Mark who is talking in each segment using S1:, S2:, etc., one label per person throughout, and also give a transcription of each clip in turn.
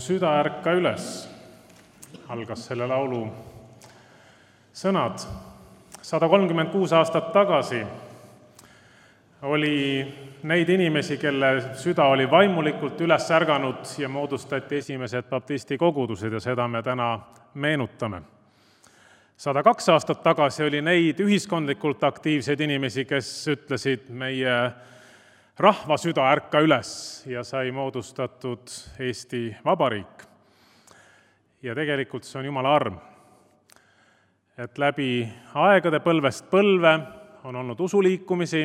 S1: süda ärka üles, algas selle laulu sõnad. 136 aastat tagasi oli neid inimesi, kelle süda oli vaimulikult üles ärganud ja moodustati esimesed baptisti kogudused ja seda me täna meenutame. 102 aastat tagasi oli neid ühiskondlikult aktiivseid inimesi, kes ütlesid meie rahva süda ärka üles ja sai moodustatud Eesti Vabariik. Ja tegelikult see on Jumala arm, et läbi aegade põlvest põlve on olnud usuliikumisi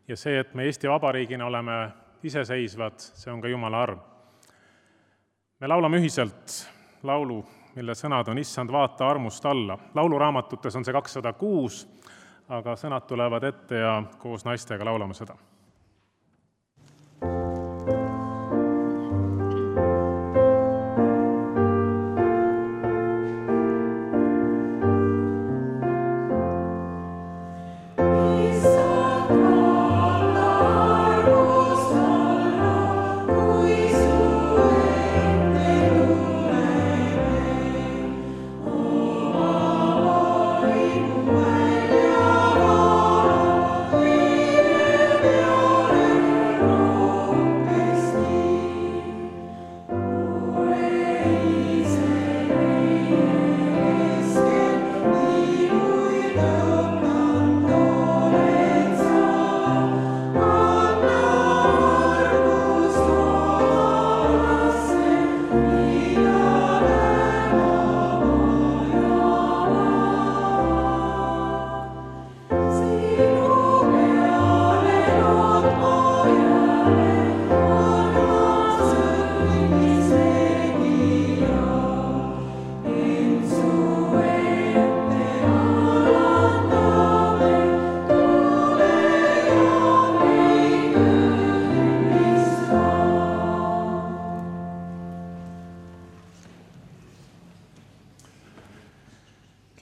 S1: ja see, et me Eesti Vabariigina oleme iseseisvad, see on ka Jumala arm. Me laulame ühiselt laulu, mille sõnad on Issand, vaata armust alla. Lauluraamatutes on see 206, aga sõnad tulevad ette ja koos naistega laulame seda.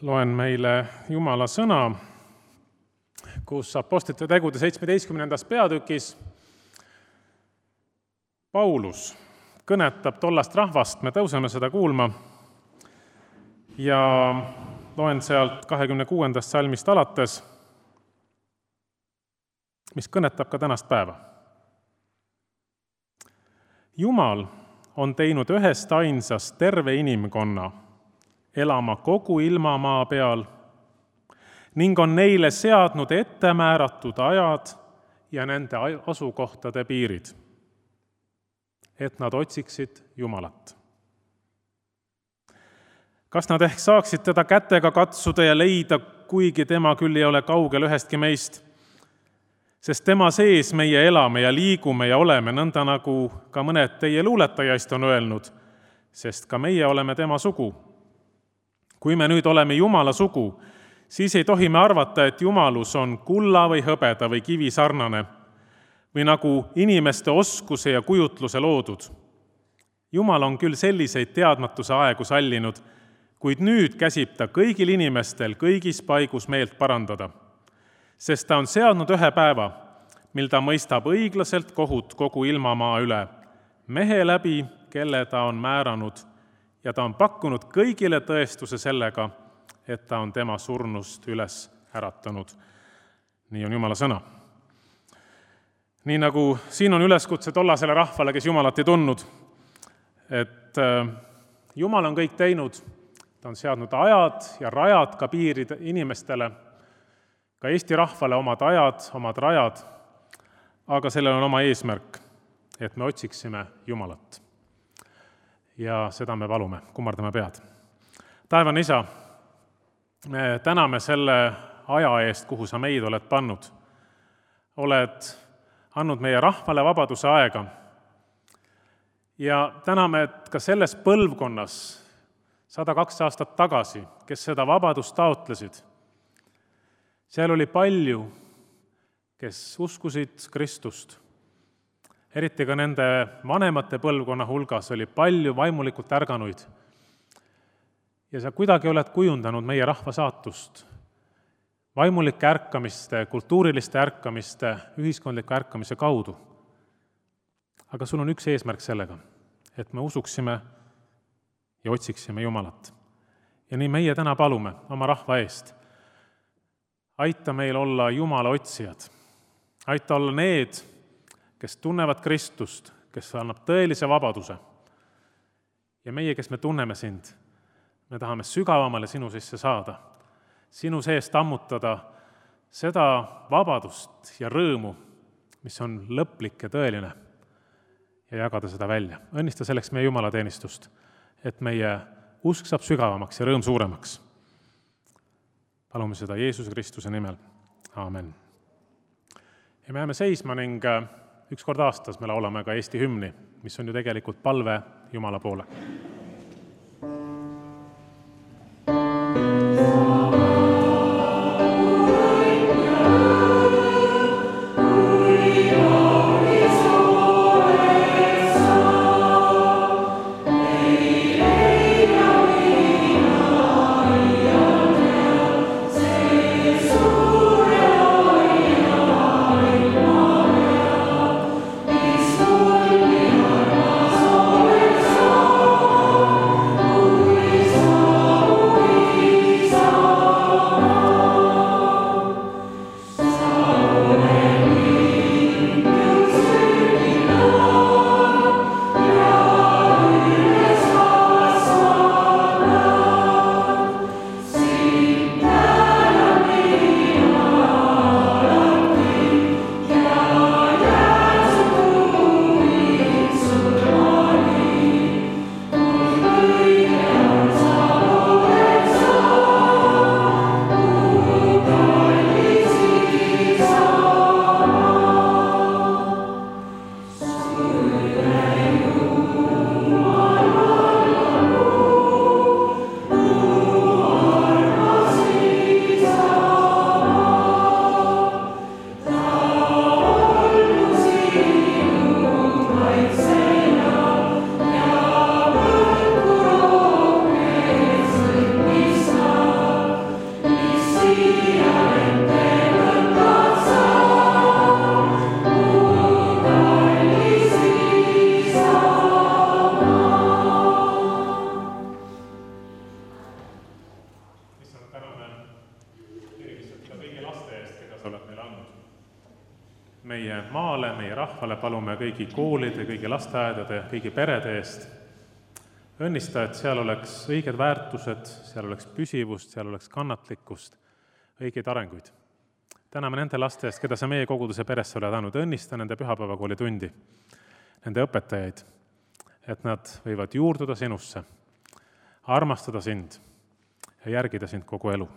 S1: Loen meile Jumala sõna, kus Apostlite tegude 17. peatükis Paulus kõnetab tollast rahvast, me tõuseme seda kuulma, ja loen sealt 26. salmist alates, mis kõnetab ka tänast päeva. Jumal on teinud ühest ainsast terve inimkonna elama kogu ilmamaa peal ning on neile seadnud ettemääratud ajad ja nende asukohtade piirid, et nad otsiksid Jumalat. Kas nad ehk saaksid teda kätega katsuda ja leida, kuigi tema küll ei ole kaugel ühestki meist, sest tema sees meie elame ja liigume ja oleme, nõnda nagu ka mõned teie luuletajaist on öelnud, sest ka meie oleme tema sugu. Kui me nüüd oleme Jumala sugu, siis ei tohi me arvata, et Jumalus on kulla või hõbeda või kivi sarnane või nagu inimeste oskuse ja kujutluse loodud. Jumal on küll selliseid teadmatuse aegu sallinud, kuid nüüd käsib ta kõigil inimestel kõigis paigus meelt parandada, sest ta on seadnud ühe päeva, mil ta mõistab õiglaselt kohut kogu ilmamaa üle, mehe läbi, kelle ta on määranud, ja ta on pakkunud kõigile tõestuse sellega, et ta on tema surnust üles äratanud. Nii on Jumala sõna. Nii nagu siin on üleskutse tollasele rahvale, kes Jumalat ei tundnud, et Jumal on kõik teinud, ta on seadnud ajad ja rajad ka piirid inimestele, ka Eesti rahvale omad ajad, omad rajad, aga sellel on oma eesmärk, et me otsiksime Jumalat. Ja seda me palume, kummardame pead. Taevane Isa, me täname selle aja eest, kuhu sa meid oled pannud. Oled andnud meie rahvale vabaduse aega. Ja täname, et ka selles põlvkonnas 102 aastat tagasi, kes seda vabadust taotlesid, seal oli palju, kes uskusid Kristust. Eriti ka nende vanemate põlvkonna hulgas oli palju vaimulikult ärganuid. Ja sa kuidagi oled kujundanud meie rahva saatust. Vaimulike ärkamiste, kultuuriliste ärkamiste, ühiskondliku ärkamise kaudu. Aga sul on üks eesmärk sellega, et me usuksime ja otsiksime Jumalat. Ja nii meie täna palume oma rahva eest. Aita meil olla Jumala otsijad. Aita olla need, kes tunnevad Kristust, kes annab tõelise vabaduse. Ja meie, kes me tunneme sind, me tahame sügavamale sinu sisse saada, sinu seest ammutada seda vabadust ja rõõmu, mis on lõplik ja tõeline, ja jagada seda välja. Õnnista selleks meie Jumalateenistust, et meie usk saab sügavamaks ja rõõm suuremaks. Palume seda Jeesuse Kristuse nimel. Aamen. Ja me jääme seisma ning üks kord aastas me laulame ka Eesti hümni, mis on ju tegelikult palve Jumala poole. Meie maale, meie rahvale palume kõigi koolide, kõigi lasteaedade, kõigi perede eest. Õnnista, et seal oleks õiged väärtused, seal oleks püsivust, seal oleks kannatlikkust, õigeid arenguid. Täname nende laste eest, keda sa meie koguduse peresse oled andnud. Õnnista nende pühapäevakooli tundi, nende õpetajaid, et nad võivad juurduda sinusse, armastada sind ja järgida sind kogu elu.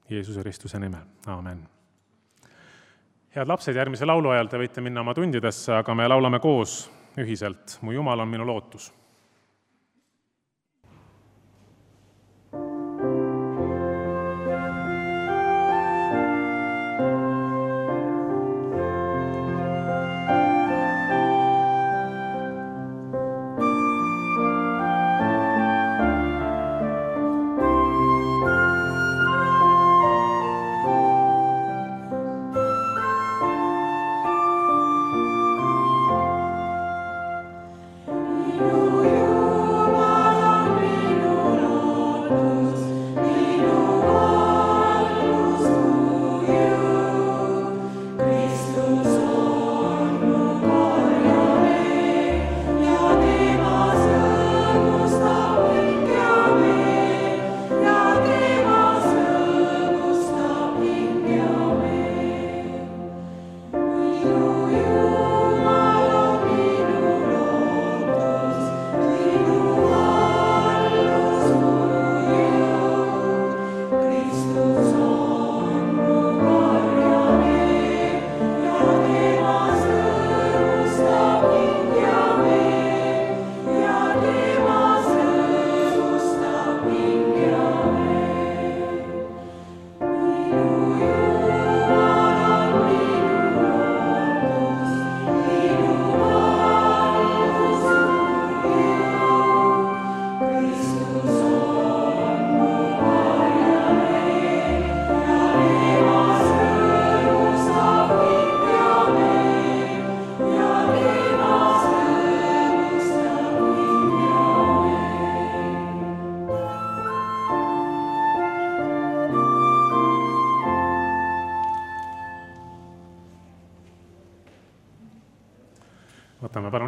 S1: Jeesuse Kristuse nimel. Aamen. Head lapsed, järgmise laulu ajal te võite minna oma tundidesse, aga me laulame koos ühiselt. Mu Jumal on minu lootus.
S2: You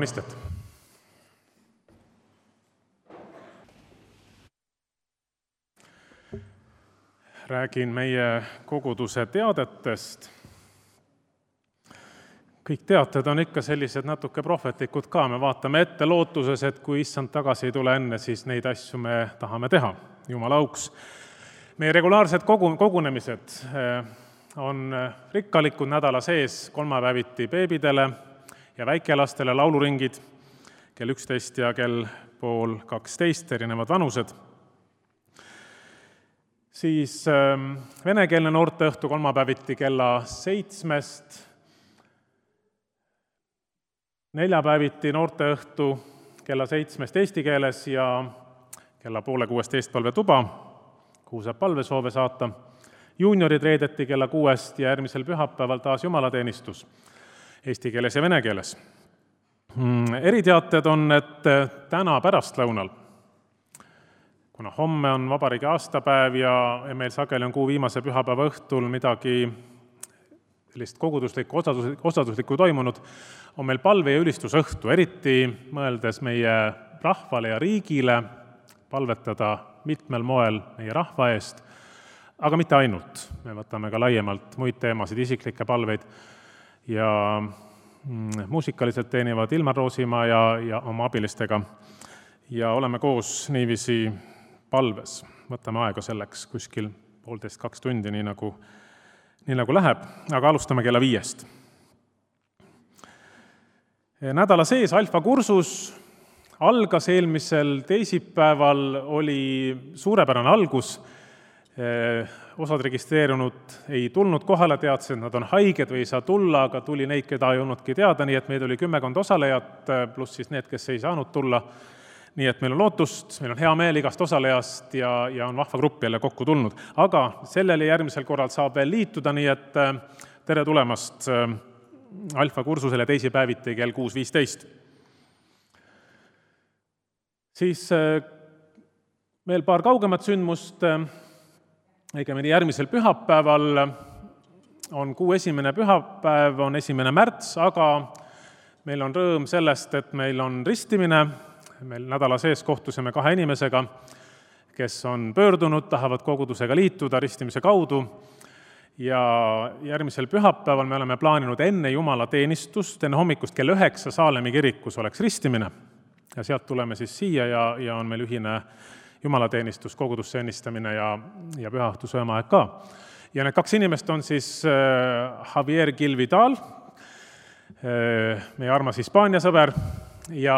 S1: palun istet. Räägin meie koguduse teadetest. Kõik teated on ikka sellised natuke prohvetlikud ka, me vaatame ette lootuses, et kui issand tagasi ei tule enne, siis neid asju me tahame teha, Jumala auks. Meie regulaarsed kogunemised on rikkalikud nädala sees, kolmapäeviti beebidele ja väikelastele lauluringid, kell 11 ja kell 11:30, erinevad vanused. Siis venekeelne noorteõhtu kolmapäeviti kella 7, neljapäeviti noorteõhtu kella 7 eesti keeles ja kella 5:30 eestpalvetuba, kuhu saab palvesoove saata. Juuniorid reedeti kella 6 ja järgmisel pühapäeval taas jumalateenistus eesti keeles ja vene keeles. Eriteated on, et täna pärastlõunal, kuna homme on vabariigi aastapäev ja meil sageli on kuu viimase pühapäeva õhtul midagi sellist osaduslikku toimunud, on meil palve- ja ülistusõhtu, eriti mõeldes meie rahvale ja riigile, palvetada mitmel moel meie rahva eest, aga mitte ainult. Me võtame ka laiemalt muid teemasid, isiklikke palveid ja muusikaliselt teenivad Ilmar Roosimaa ja oma abilistega ja oleme koos niiviisi palves. Võtame aega selleks kuskil 1,5–2 tundi, nii nagu läheb, aga alustame kella 5. Nädala sees alfakursus algas eelmisel teisipäeval, oli suurepärane algus. Osad registreerunud ei tulnud kohale, teadsid, et nad on haiged või ei saa tulla, aga tuli neid, keda ei olnudki teada, nii et meid oli 10 osalejat, pluss siis need, kes ei saanud tulla. Nii et meil on lootust, meil on hea meel igast osalejast ja on vahva grupp jälle kokku tulnud. Aga sellele järgmisel korral saab veel liituda, nii et tere tulemast alfakursusele teisipäeviti kell 6:15. Siis veel paar kaugemat sündmust. Õigemini järgmisel pühapäeval on kuu esimene pühapäev, on 1. märts, aga meil on rõõm sellest, et meil on ristimine. Meil nädala sees kohtusime 2 inimesega, kes on pöördunud, tahavad kogudusega liituda ristimise kaudu. Ja järgmisel pühapäeval me oleme plaaninud enne jumalateenistust, enne hommikust kell 9 Saalemi kirikus oleks ristimine. Ja sealt tuleme siis siia ja on meil ühine jumalateenistus, kogudusse ennistamine ja pühaõhtu söömaaeg ka. Ja need 2 inimest on siis Javier Gil-Vidal, meie armas Hispaania sõber, ja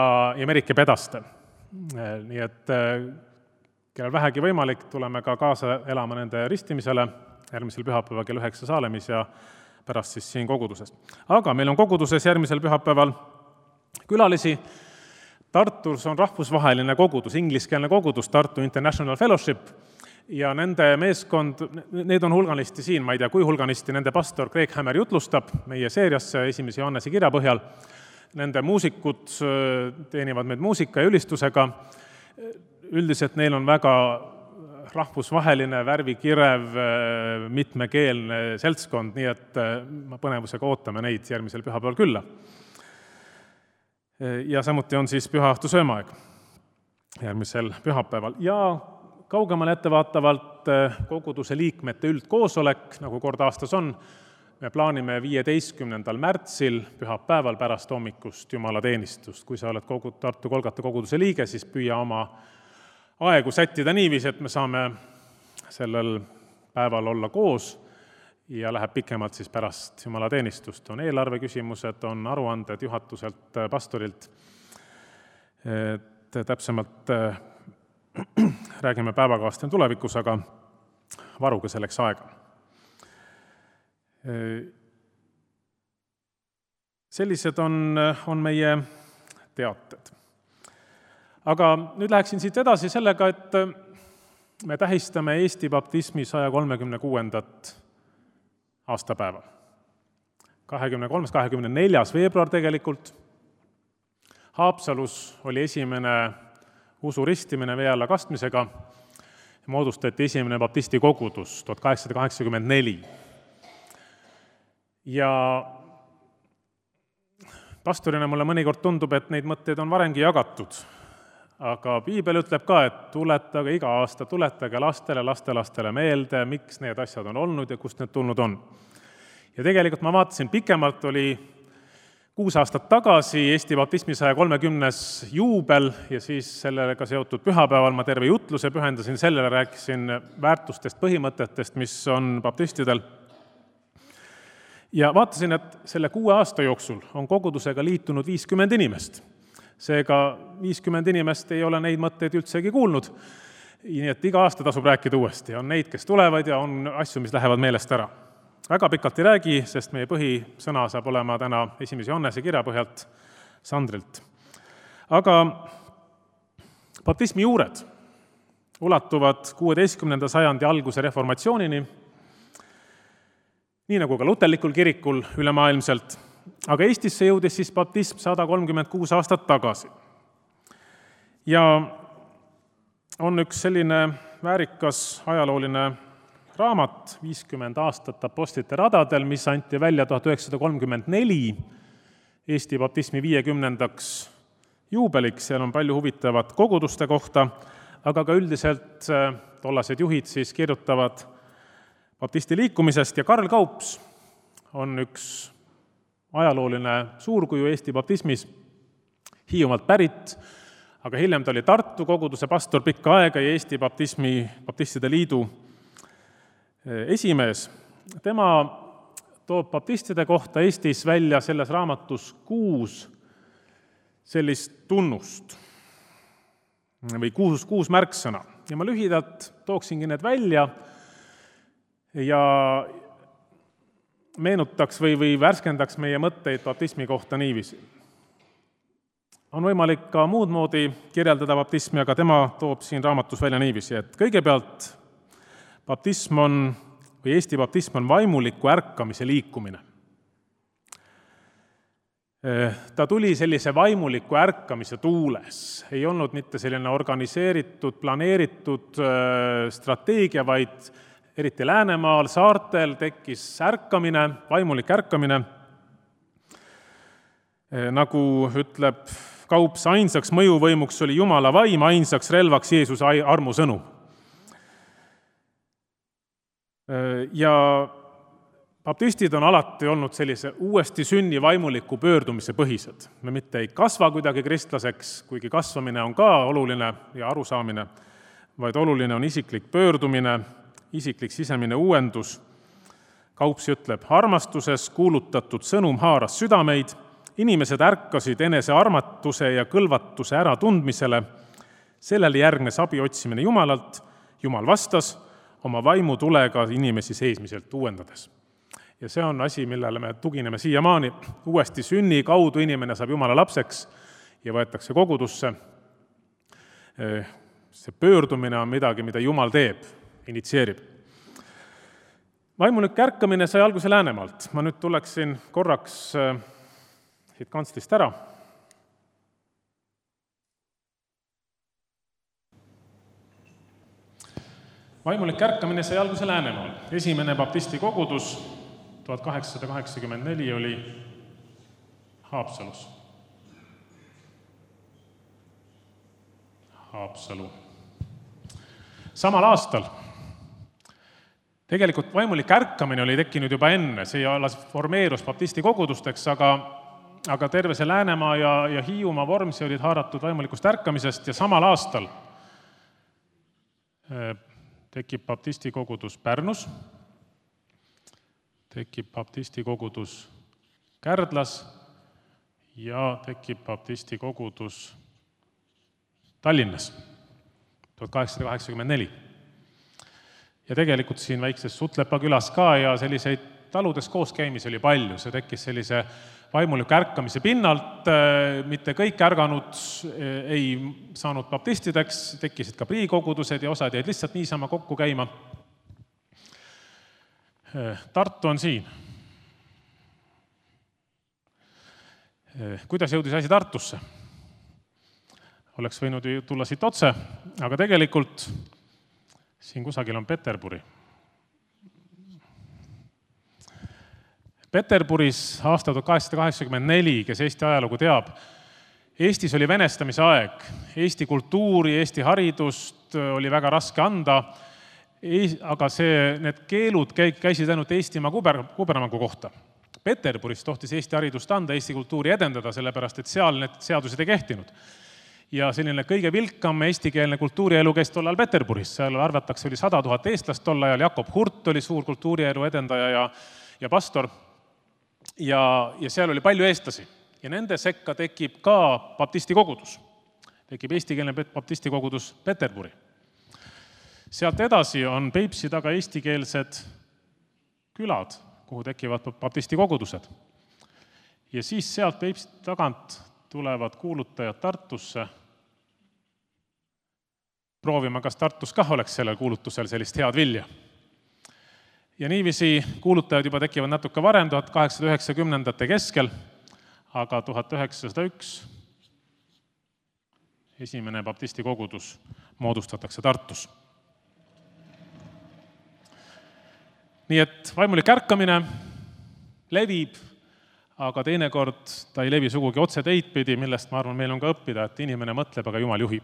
S1: Merike Pedaste. Nii et kellel vähegi võimalik, tuleme ka kaasa elama nende ristimisele järgmisel pühapäeval kell 9 Saalemis ja pärast siis siin koguduses. Aga meil on koguduses järgmisel pühapäeval külalisi. Tartus on rahvusvaheline kogudus, ingliskeelne kogudus, Tartu International Fellowship, ja nende meeskond, need on hulganisti siin, ma ei tea, kui hulganisti, nende pastor Craig Hammer jutlustab meie seeriasse 1. Johannese kirja põhjal. Nende muusikud teenivad meid muusika ja ülistusega. Üldiselt neil on väga rahvusvaheline, värvikirev, mitmekeelne seltskond, nii et ma põnevusega ootame neid järgmisel pühapäeval külla. Ja samuti on siis pühaõhtu söömaaeg järgmisel pühapäeval. Ja kaugemale ettevaatavalt koguduse liikmete üldkoosolek, nagu kord aastas on, me plaanime 15. märtsil pühapäeval pärast hommikust jumalateenistust. Kui sa oled Tartu Golgata koguduse liige, siis püüa oma aegu sättida niiviisi, et me saame sellel päeval olla koos ja läheb pikemalt siis pärast jumalateenistust. On eelarve küsimused, on aruanded juhatuselt, pastorilt. Täpsemalt räägime päevakavast tulevikus, aga varuge selleks aega. Sellised on meie teated. Aga nüüd läheksin siit edasi sellega, et me tähistame Eesti baptismi 136. aastapäeva. 24. veebruar tegelikult. Haapsalus oli esimene usuristimine vee alla kastmisega. Moodustati esimene baptisti kogudus 1884. Ja Pastorina mulle mõnikord tundub, et neid mõtteid on varemgi jagatud. Aga piibel ütleb ka, et tuletage iga aasta, tuletage lastele, lastelastele meelde, miks need asjad on olnud ja kust need tulnud on. Ja tegelikult ma vaatasin pikemalt, oli 6 aastat tagasi Eesti baptismi 130. juubel ja siis sellega seotud pühapäeval ma terve jutluse pühendasin sellele, rääkisin väärtustest, põhimõtetest, mis on baptistidel. Ja vaatasin, et selle 6 aasta jooksul on kogudusega liitunud 50 inimest. Seega 50 inimest ei ole neid mõtteid üldsegi kuulnud, nii et iga aasta tasub rääkida uuesti. On neid, kes tulevad ja on asju, mis lähevad meelest ära. Väga pikalt ei räägi, sest meie põhisõna saab olema täna 1. Johannese kirja põhjalt Sandrilt. Aga baptismi juured ulatuvad 16. sajandi alguse reformatsioonini, nii nagu ka luterlikul kirikul ülemaailmselt, aga Eestisse jõudis siis baptism 136 aastat tagasi. Ja on üks selline väärikas ajalooline raamat 50 aastat apostlite radadel, mis anti välja 1934 Eesti baptismi 50. juubeliks. Seal on palju huvitavat koguduste kohta, aga ka üldiselt tollased juhid siis kirjutavad baptisti liikumisest ja Karl Kaups on üks ajalooline suurkuju Eesti baptismis, Hiiumaalt pärit, aga hiljem ta oli Tartu koguduse pastor pikka aega ja Eesti baptistide liidu esimees. Tema toob baptistide kohta Eestis välja selles raamatus 6 sellist tunnust või 6 märksõna. Ja ma lühidalt tooksingi need välja ja meenutaks või värskendaks meie mõtteid baptismi kohta niiviisi. On võimalik ka muud moodi kirjeldada baptismi, aga tema toob siin raamatus välja niiviisi, et kõigepealt baptism on, või Eesti baptism on vaimuliku ärkamise liikumine. Ta tuli sellise vaimuliku ärkamise tuules. Ei olnud mitte selline organiseeritud, planeeritud strateegia, vaid eriti Läänemaal, saartel tekkis ärkamine, vaimulik ärkamine. Nagu ütleb Kaups, ainsaks mõjuvõimuks oli Jumala vaim, ainsaks relvaks Jeesuse armusõnu. Ja baptistid on alati olnud sellise uuesti sünni vaimuliku pöördumise põhised. Me mitte ei kasva kuidagi kristlaseks, kuigi kasvamine on ka oluline ja arusaamine, vaid oluline on isiklik pöördumine, isiklik sisemine uuendus. Kaups ütleb, armastuses kuulutatud sõnum haaras südameid, inimesed ärkasid enese armatuse ja kõlvatuse äratundmisele, sellele järgnes abi otsimine Jumalalt, Jumal vastas oma vaimutulega inimesi seismiselt uuendades. Ja see on asi, millele me tugineme siiamaani. Uuesti sünni kaudu inimene saab Jumala lapseks ja võetakse kogudusse. See pöördumine on midagi, mida Jumal teeb, initsieerib. Vaimulik ärkamine sai alguse Läänemaalt. Ma nüüd tuleksin korraks siit kantslist ära. Vaimulik ärkamine sai alguse Läänemaal. Esimene baptisti kogudus 1884 oli Haapsalus. Haapsalu. Samal aastal tegelikult vaimulik ärkamine oli tekkinud juba enne, see alles formeerus baptisti kogudusteks, aga terve see Läänemaa ja Hiiumaa Vormsi olid haaratud vaimulikust ärkamisest ja samal aastal tekib baptisti kogudus Pärnus, tekib baptisti kogudus Kärdlas ja tekib baptisti kogudus Tallinnas 1884. Ja tegelikult siin väikses Sutlepa külas ka ja selliseid taludes kooskäimisi oli palju. See tekkis sellise vaimuliku ärkamise pinnalt, mitte kõik ärganud ei saanud baptistideks, tekkisid ka priikogudused ja osad jäid lihtsalt niisama kokku käima. Tartu on siin. Kuidas jõudis asi Tartusse? Oleks võinud ju tulla siit otse, aga tegelikult siin kusagil on Peterburi. Peterburis aastal 1884, kes Eesti ajalugu teab, Eestis oli venestamise aeg. Eesti kultuuri, Eesti haridust oli väga raske anda, aga need keelud käisid ainult Eestimaa kubermangu kohta. Peterburis tohtis Eesti haridust anda, Eesti kultuuri edendada, sellepärast et seal need seadused ei kehtinud. Ja selline kõige vilkam eestikeelne kultuurielu käis tollal Peterburis. Seal arvatakse oli 100 000 eestlast tol ajal, Jakob Hurt oli suur kultuurielu edendaja ja pastor. Ja seal oli palju eestlasi. Ja nende sekka tekib ka baptisti kogudus. Tekib eestikeelne baptisti kogudus Peterburi. Sealt edasi on Peipsi taga eestikeelsed külad, kuhu tekivad baptisti kogudused. Ja siis sealt Peipsi tagant tulevad kuulutajad Tartusse. Proovima, kas Tartus kah oleks sellel kuulutusel sellist head vilja. Ja niiviisi kuulutajad juba tekivad natuke varem, 1890-ndate keskel, aga 1901 esimene baptisti kogudus moodustatakse Tartus. Nii et vaimulik ärkamine levib, aga teinekord ta ei levi sugugi otse teidpidi, millest ma arvan, meil on ka õppida, et inimene mõtleb, aga Jumal juhib.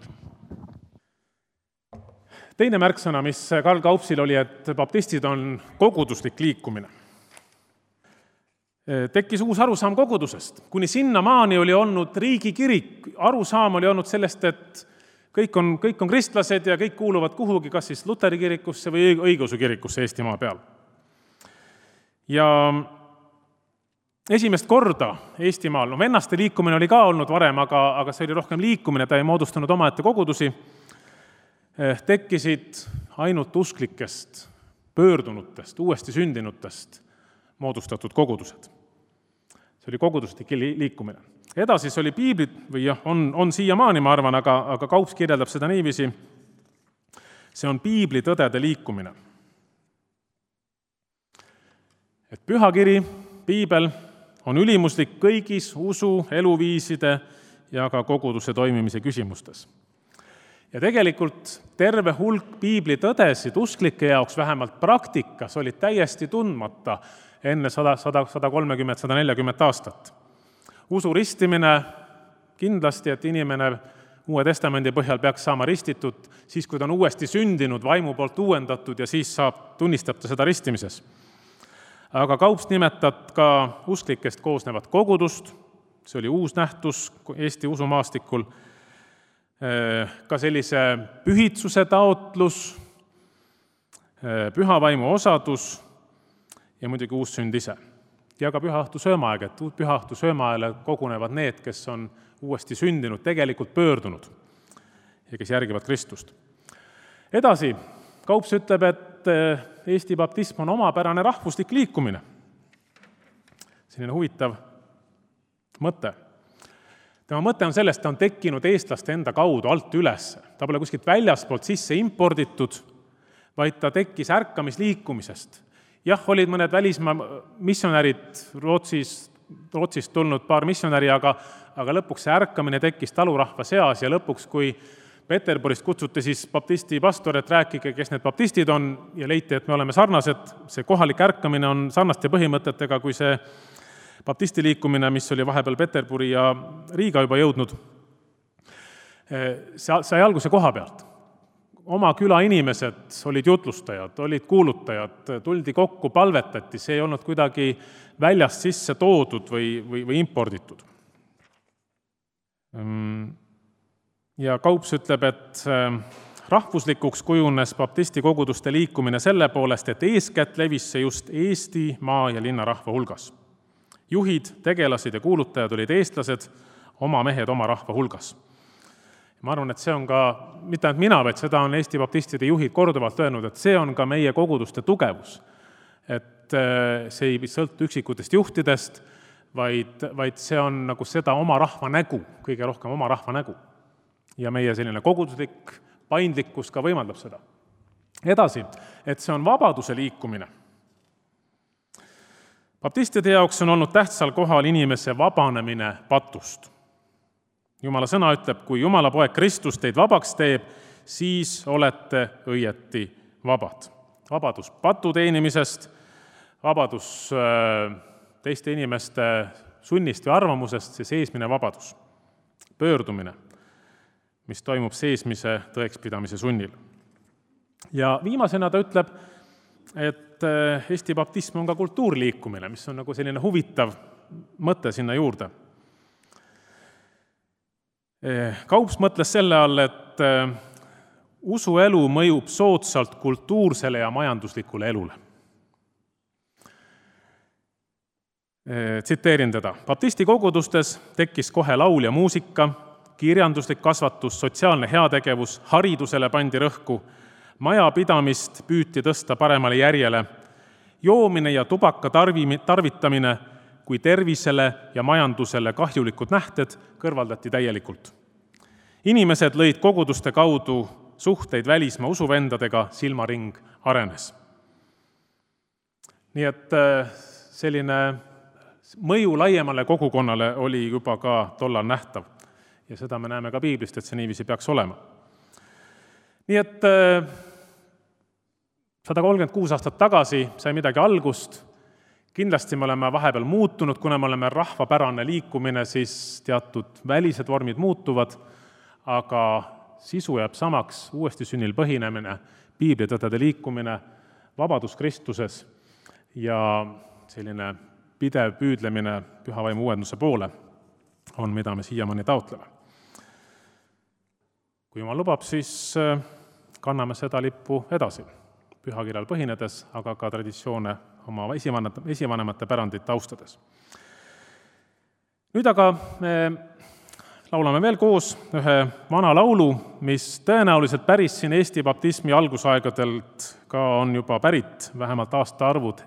S1: Teine märksõna, mis Karl Kaupsil oli, et baptistid on koguduslik liikumine. Tekkis uus arusaam kogudusest. Kuni sinnamaani oli olnud riigikirik. Arusaam oli olnud sellest, et kõik on kristlased ja kõik kuuluvad kuhugi, kas siis Luteri kirikusse või õigeusu kirikusse Eestimaa peal. Ja esimest korda Eestimaal, vennaste liikumine oli ka olnud varem, aga see oli rohkem liikumine, ta ei moodustanud omaette kogudusi, tekkisid ainult usklikest, pöördunutest, uuesti sündinutest moodustatud kogudused. See oli koguduslik liikumine. Edasi see oli piiblit, või on siiamaani, ma arvan, aga Kaups kirjeldab seda niiviisi, see on piiblitõdede liikumine. Et pühakiri, piibel on ülimuslik kõigis usu, eluviiside ja ka koguduse toimimise küsimustes. Ja tegelikult terve hulk piiblitõdesid usklike jaoks vähemalt praktikas olid täiesti tundmata enne 130-140 aastat. Usu ristimine kindlasti, et inimene Uue Testamendi põhjal peaks saama ristitud siis, kui ta on uuesti sündinud, vaimu poolt uuendatud ja siis tunnistab ta seda ristimises. Aga Kaups nimetab ka usklikest koosnevat kogudust, see oli uus nähtus Eesti usumaastikul, ka sellise pühitsuse taotlus, pühavaimu osadus ja muidugi uus sünd ise. Ja ka pühaõhtu söömaaeg, et pühaõhtu söömaajale kogunevad need, kes on uuesti sündinud, tegelikult pöördunud ja kes järgivad Kristust. Edasi, Kaups ütleb, et Eesti baptism on omapärane rahvuslik liikumine. Selline huvitav mõte. Tema mõte on sellest, ta on tekkinud eestlaste enda kaudu alt üles. Ta pole kuskilt väljaspoolt sisse imporditud, vaid ta tekkis ärkamisliikumisest. Jah, olid mõned välismaa missionärid Rootsist tulnud paar missionäri, aga lõpuks see ärkamine tekkis talurahva seas ja lõpuks, kui Peterburist kutsuti siis baptisti pastor, et rääkige, kes need baptistid on ja leiti, et me oleme sarnased. See kohalik ärkamine on sarnaste põhimõtetega kui see baptisti liikumine, mis oli vahepeal Peterburi ja Riiga juba jõudnud. Sai alguse koha pealt. Oma küla inimesed olid jutlustajad, olid kuulutajad, tuldi kokku, palvetati, see ei olnud kuidagi väljast sisse toodud või imporditud. Ja Kaups ütleb, et rahvuslikuks kujunes baptisti koguduste liikumine selle poolest, et eeskätt levis see just Eesti maa- ja linnarahva hulgas. Juhid, tegelased ja kuulutajad olid eestlased, oma mehed oma rahva hulgas. Ma arvan, et see on ka, mitte ainult mina, vaid seda on Eesti baptistide juhid korduvalt öelnud, et see on ka meie koguduste tugevus. Et see ei sõltu üksikutest juhtidest, vaid see on nagu seda oma rahva nägu, kõige rohkem oma rahva nägu. Ja meie selline koguduslik paindlikkus ka võimaldab seda. Edasi, et see on vabaduse liikumine. Baptistide jaoks on olnud tähtsal kohal inimese vabanemine patust. Jumala sõna ütleb, kui Jumala poeg Kristus teid vabaks teeb, siis olete õieti vabad. Vabadus patu teenimisest, vabadus teiste inimeste sunnist või arvamusest see seesmine vabadus, pöördumine, mis toimub seesmise tõekspidamise sunnil. Ja viimasena ta ütleb, et Eesti baptism on ka kultuurliikumine, mis on nagu selline huvitav mõte sinna juurde. Kaups mõtles selle all, et usuelu mõjub soodsalt kultuursele ja majanduslikule elule. Tsiteerin teda. Baptisti kogudustes tekkis kohe laul ja muusika, kirjanduslik kasvatus, sotsiaalne heategevus, haridusele pandi rõhku, majapidamist püüti tõsta paremale järjele, joomine ja tubaka tarvitamine kui tervisele ja majandusele kahjulikud nähted kõrvaldati täielikult. Inimesed lõid koguduste kaudu suhteid välismaa usuvendadega, silmaring arenes. Nii et selline mõju laiemale kogukonnale oli juba ka tollal nähtav. Ja seda me näeme ka piiblist, et see niiviisi peaks olema. Nii et 136 aastat tagasi sai midagi algust. Kindlasti me oleme vahepeal muutunud, kuna me oleme rahvapärane liikumine, siis teatud välised vormid muutuvad, aga sisu jääb samaks, uuesti sünnil põhinemine, piiblitõdede liikumine, vabadus Kristuses ja selline pidev püüdlemine püha vaimu uuenduse poole on, mida me siiamaani taotleme. Kui Jumal lubab, siis kanname seda lippu edasi, pühakirjal põhinedes, aga ka traditsioone oma esivanemate pärandit austades. Nüüd aga me laulame veel koos ühe vana laulu, mis tõenäoliselt päris siin Eesti baptismi algusaegadelt ka on juba pärit, vähemalt aastaarvud.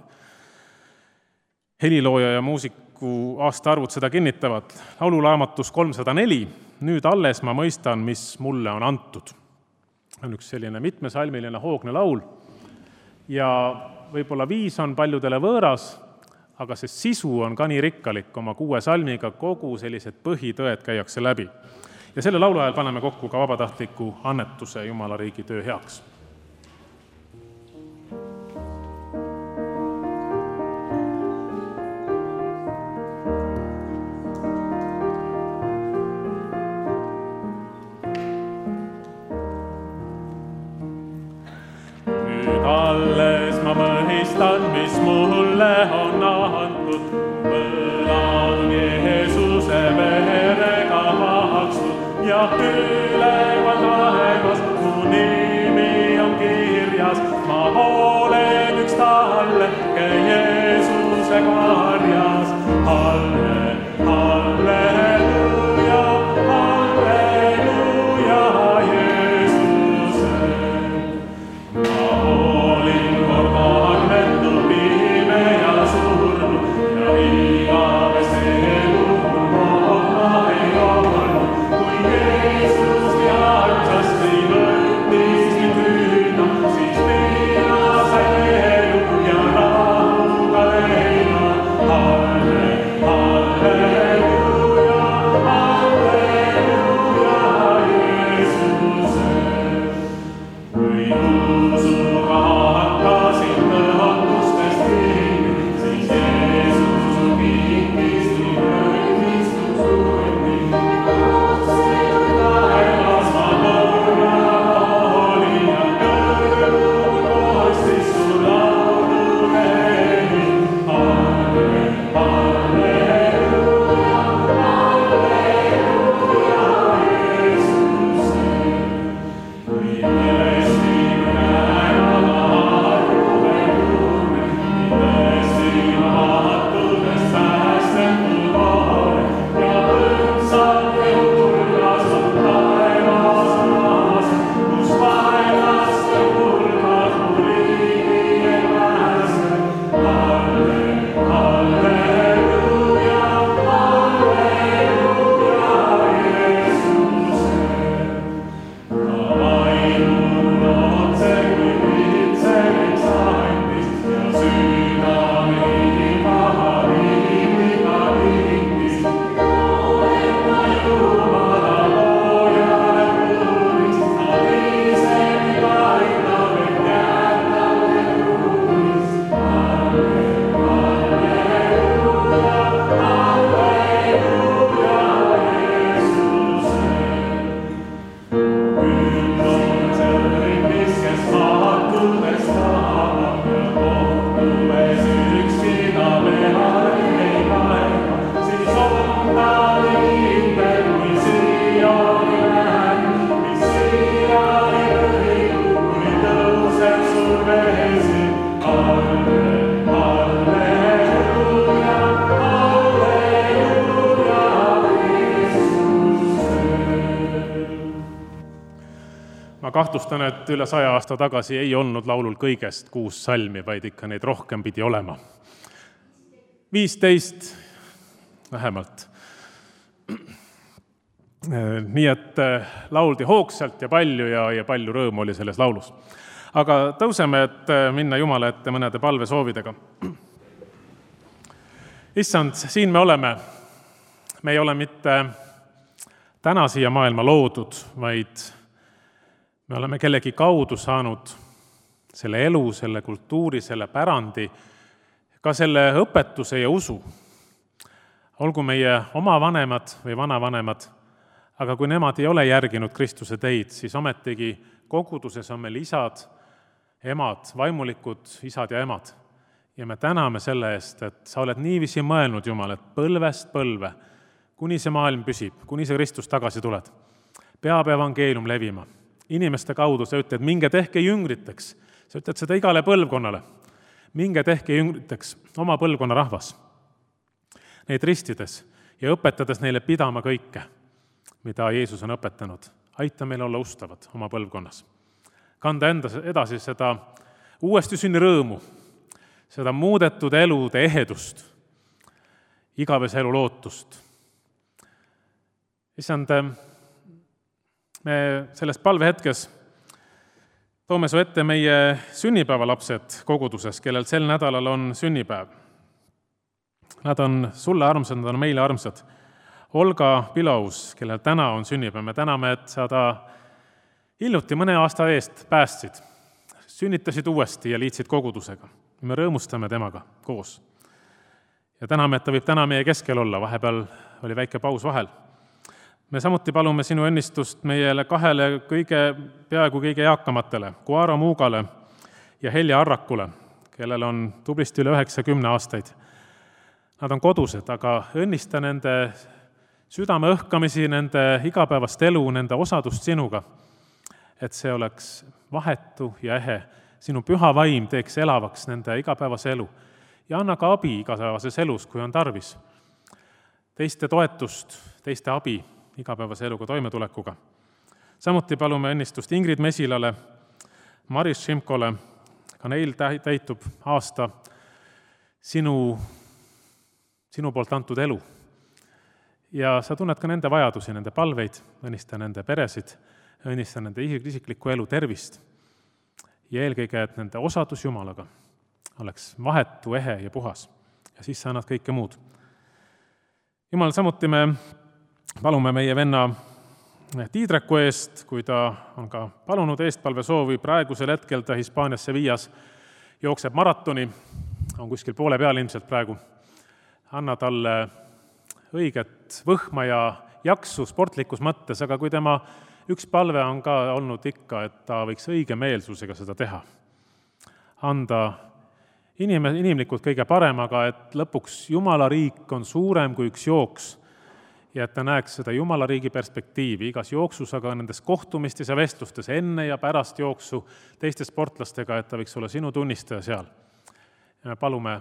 S1: Helilooja ja muusiku aastaarvud seda kinnitavad. Lauluraamatus 304, nüüd alles ma mõistan, mis mulle on antud. On üks selline mitmesalmiline hoogne laul ja võib-olla 5 on paljudele võõras, aga see sisu on ka nii rikkalik, oma 6 salmiga kogu sellised põhitõed käiakse läbi. Ja selle laulu ajal paneme kokku ka vabatahtliku annetuse Jumala riigi töö heaks.
S2: Alles ma mõistan, mis mulle on antud, võlad Jeesuse verega makstud ja üleval taevas mu nimi on kirjas. Ma olen üks talle, käi Jeesuse karjas. Halleluja, halleluja Jeesuse. Ma olin kord agnetu, pime ja surnu ja igavest elu ma ei olnud. Kui Jeesus teadsasti võttis mind küüna, siis mina sain elu ja rahuga leina.
S1: Ma kahtlustan, et üle 100 aasta tagasi ei olnud laulul kõigest 6 salmi, vaid ikka neid rohkem pidi olema. 15 vähemalt. Nii et lauldi hoogsalt ja palju rõõmu oli selles laulus. Aga tõuseme, et minna Jumala ette mõnede palvesoovidega. Issand, siin me oleme. Me ei ole mitte täna siia maailma loodud, vaid me oleme kellegi kaudu saanud selle elu, selle kultuuri, selle pärandi, ka selle õpetuse ja usu. Olgu meie oma vanemad või vanavanemad, aga kui nemad ei ole järginud Kristuse teid, siis ometigi koguduses on meil isad, emad, vaimulikud isad ja emad. Ja me täname selle eest, et sa oled niiviisi mõelnud, Jumal, et põlvest põlve, kuni see maailm püsib, kuni see Kristus tagasi tuled, peab evangeelium levima. Inimeste kaudu sa ütled, minge tehke jüngriteks. Sa ütled seda igale põlvkonnale. Minge tehke jüngriteks oma põlvkonna rahvas. Neid ristides ja õpetades neile pidama kõike, mida Jeesus on õpetanud. Aita meil olla ustavad oma põlvkonnas. Kanda edasi seda uuesti sünni rõõmu, seda muudetud elude ehedust, igavese elu lootust. Issand, me selles palvehetkes toome su ette meie sünnipäevalapsed koguduses, kellel sel nädalal on sünnipäev. Nad on sulle armsad, nad on meile armsad. Olga Pilaus, kellel täna on sünnipäev, me täname, et sa ta hiljuti mõne aasta eest päästsid, sünnitasid uuesti ja liitsid kogudusega. Me rõõmustame temaga koos. Ja täname, et ta võib täna meie keskel olla, vahepeal oli väike paus vahel. Me samuti palume sinu õnnistust meile 2 peaaegu kõige eakamatele, Kuaro Muugale ja Helja Arrakule, kellel on tublisti üle 90 aastaid. Nad on kodused, aga õnnista nende südame õhkamisi, nende igapäevast elu, nende osadust sinuga, et see oleks vahetu ja ehe. Sinu püha vaim teeks elavaks nende igapäevase elu ja anna ka abi igapäevases elus, kui on tarvis. Teiste toetust, teiste abi igapäevase eluga toimetulekuga. Samuti palume õnnistust Ingrid Mesilale, Maris Šimkole, ka neil täitub aasta sinu poolt antud elu. Ja sa tunned ka nende vajadusi, nende palveid, õnnista nende peresid, õnnista nende isiklikku elu tervist ja eelkõige, et nende osadus Jumalaga oleks vahetu, ehe ja puhas. Ja siis sa annad kõike muud. Jumal, samuti me palume meie venna Tiidreku eest, kui ta on ka palunud eestpalvesoovi. Praegusel hetkel ta Hispaanias Sevillas jookseb maratoni, on kuskil poole peal ilmselt praegu. Anna talle õiget võhma ja jaksu sportlikus mõttes, aga kui tema üks palve on ka olnud ikka, et ta võiks õige meelsusega seda teha. Anda inimlikult kõige parem, aga et lõpuks Jumala riik on suurem kui üks jooks ja et ta näeks seda Jumala riigi perspektiivi igas jooksus, aga nendes kohtumistes ja vestlustes enne ja pärast jooksu teiste sportlastega, et ta võiks olla sinu tunnistaja seal. Ja me palume,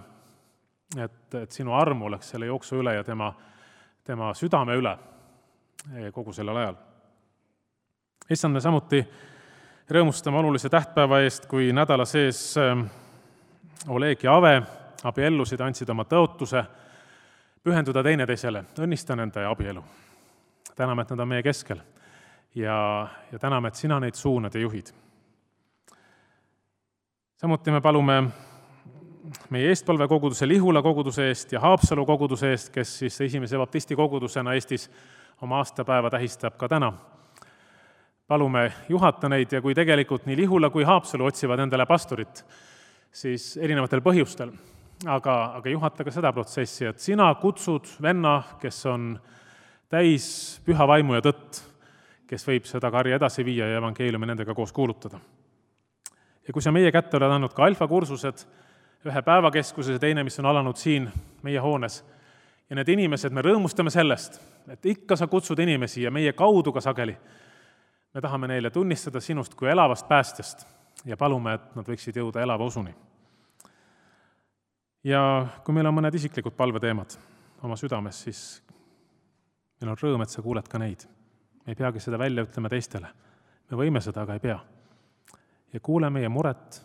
S1: et sinu arm oleks selle jooksu üle ja tema südame üle kogu sellel ajal. Issand, me samuti rõõmustame olulise tähtpäeva eest, kui nädala sees Oleg ja Ave abiellusid, andsid oma tõotuse pühenduda teineteisele, õnnista nende abielu. Täname, et nad on meie keskel ja täname, et sina neid suunad ja juhid. Samuti me palume meie eestpalvekoguduse Lihula koguduse eest ja Haapsalu koguduse eest, kes siis esimese baptisti kogudusena Eestis oma aastapäeva tähistab ka täna. Palume juhata neid ja kui tegelikult nii Lihula kui Haapsalu otsivad endale pastorit, siis erinevatel põhjustel, aga juhata ka seda protsessi, et sina kutsud venna, kes on täis püha vaimu ja tõtt, kes võib seda karja edasi viia ja evangeeliumi nendega koos kuulutada. Ja kui sa meie kätte oled andnud ka alfakursused, ühe päevakeskuses ja teine, mis on alanud siin meie hoones, ja need inimesed, me rõõmustame sellest, et ikka sa kutsud inimesi ja meie kaudu ka sageli. Me tahame neile tunnistada sinust kui elavast päästjast ja palume, et nad võiksid jõuda elava usuni. Ja kui meil on mõned isiklikud palveteemad oma südames, siis meil on rõõm, et sa kuuled ka neid. Me ei peagi seda välja ütlema teistele. me võime seda, aga ei pea. Ja kuule meie muret,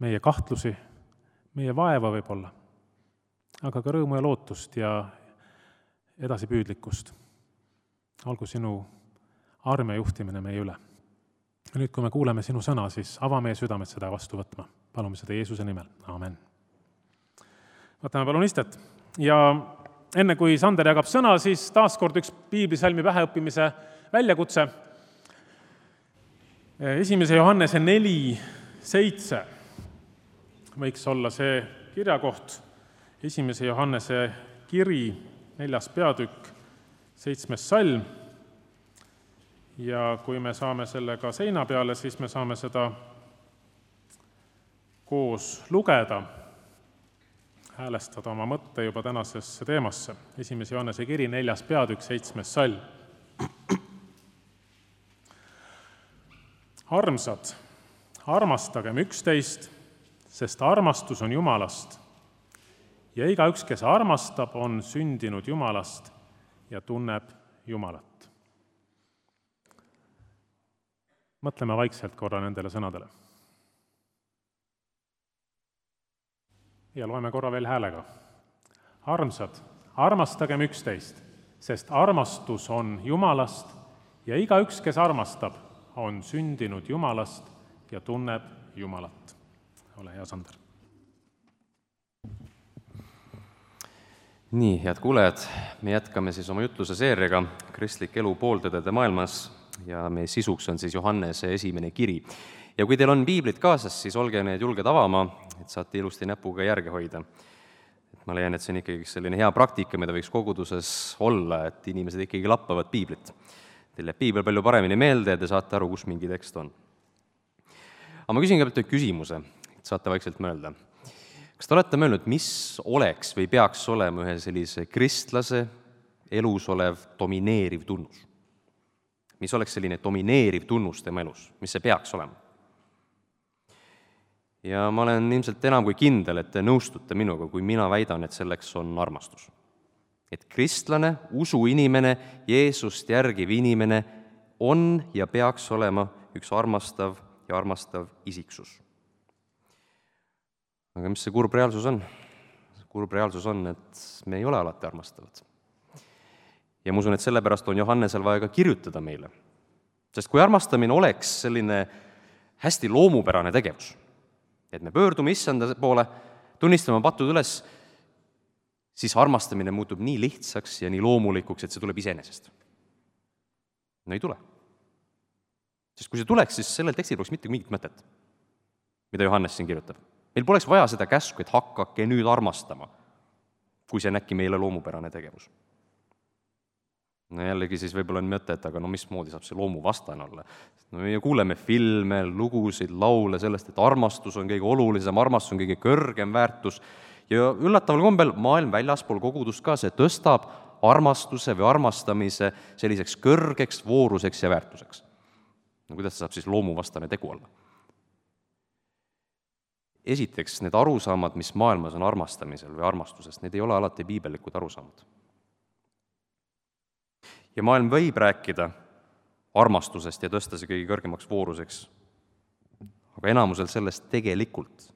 S1: meie kahtlusi, meie vaeva võib-olla, aga ka rõõmu ja lootust ja edasipüüdlikkust. Olgu sinu arm ja juhtimine meie üle. Ja nüüd, kui me kuuleme sinu sõna, siis ava meie südamed seda vastu võtma. Palume seda Jeesuse nimel. Amen. Võtame palun istet. Ja enne kui Sander jagab sõna, siis taaskord üks piiblisalmi päheõppimise väljakutse. 1. Johannese 4:7 võiks olla see kirjakoht. 1. Johannese kiri, 4. peatükk, 7. salm. Ja kui me saame selle ka seina peale, siis me saame seda koos lugeda, häälestada oma mõtte juba tänasesse teemasse. 1. Johannese kiri, 4. peatükk, 7. salm. Armsad, armastagem üksteist, sest armastus on Jumalast. Ja igaüks, kes armastab, on sündinud Jumalast ja tunneb Jumalat. Mõtleme vaikselt korra nendele sõnadele. Ja loeme korra veel häälega. Armsad, armastagem üksteist, sest armastus on Jumalast ja igaüks, kes armastab, on sündinud Jumalast ja tunneb Jumalat. Ole hea, Sander.
S3: Nii, head kuulejad, me jätkame siis oma jutluse seeriaga Kristlik elu pooltõdede maailmas ja meie sisuks on siis Johannese 1. kiri. Ja kui teil on piiblid kaasas, siis olge need julged avama, et saate ilusti näpuga järge hoida. Et ma leian, et see on ikkagi selline hea praktika, mida võiks koguduses olla, et inimesed ikkagi lappavad piiblit. Teil jääb piibel palju paremini meelde ja te saate aru, kus mingi tekst on. Aga ma küsin kõigepealt küsimuse, et saate vaikselt mõelda. Kas te olete mõelnud, mis oleks või peaks olema ühe sellise kristlase elus olev domineeriv tunnus? Mis oleks selline domineeriv tunnus tema elus? Mis see peaks olema? Ja ma olen ilmselt enam kui kindel, et te nõustute minuga, kui mina väidan, et selleks on armastus. Et kristlane, usuinimene, Jeesust järgiv inimene on ja peaks olema üks armastav ja armastav isiksus. Aga mis see kurb reaalsus on? Kurb reaalsus on, et me ei ole alati armastavad. Ja ma usun, et sellepärast on Johannesel vaja ka kirjutada meile. Sest kui armastamine oleks selline hästi loomupärane tegevus, et me pöördume issanda poole, tunnistame patud üles, siis armastamine muutub nii lihtsaks ja nii loomulikuks, et see tuleb iseenesest. No ei tule. Sest kui see tuleks, siis sellel tekstil poleks mitte mingit mõtet, mida Johannes siin kirjutab. Meil poleks vaja seda käsku, et hakkake nüüd armastama, kui see on äkki meile loomupärane tegevus. No jällegi siis võib-olla on mõtet, aga no mismoodi saab see loomu vastane olla? No me kuuleme filme, lugusid, laule sellest, et armastus on kõige olulisem, armastus on kõige kõrgem väärtus ja üllataval kombel maailm väljaspool kogudust ka see tõstab armastuse või armastamise selliseks kõrgeks vooruseks ja väärtuseks. No kuidas see saab siis loomuvastane tegu olla? Esiteks, need arusaamad, mis maailmas on armastamisel või armastusest, need ei ole alati piibellikud arusaamad. Ja maailm võib rääkida armastusest ja tõsta see kõige kõrgemaks vooruseks, aga enamusel sellest tegelikult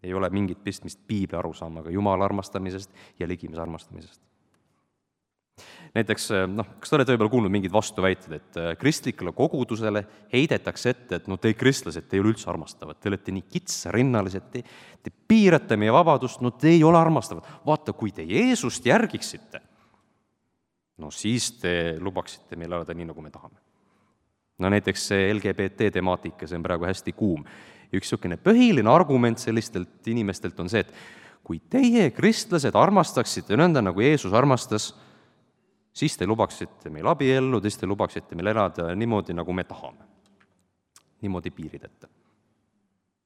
S3: ei ole mingit pistmist piibli arusaamaga Jumala armastamisest ja ligimise armastamisest. Näiteks, kas te olete võib-olla kuulnud mingid vastuväited, et kristlikele kogudusele heidetakse ette, et te kristlased, te ei ole üldse armastavad, te olete nii kitsarinnalised, te piirate meie vabadust, te ei ole armastavad. Vaata, kui te Jeesust järgiksite, siis te lubaksite meil elada nii, nagu me tahame. Näiteks see LGBT temaatika, see on praegu hästi kuum. Üks niisugune põhiline argument sellistelt inimestelt on see, et kui teie kristlased armastaksite nõnda, nagu Jeesus armastas, siis te lubaksite meil abiellu, siis te lubaksite meil elada niimoodi, nagu me tahame. Niimoodi piirideta.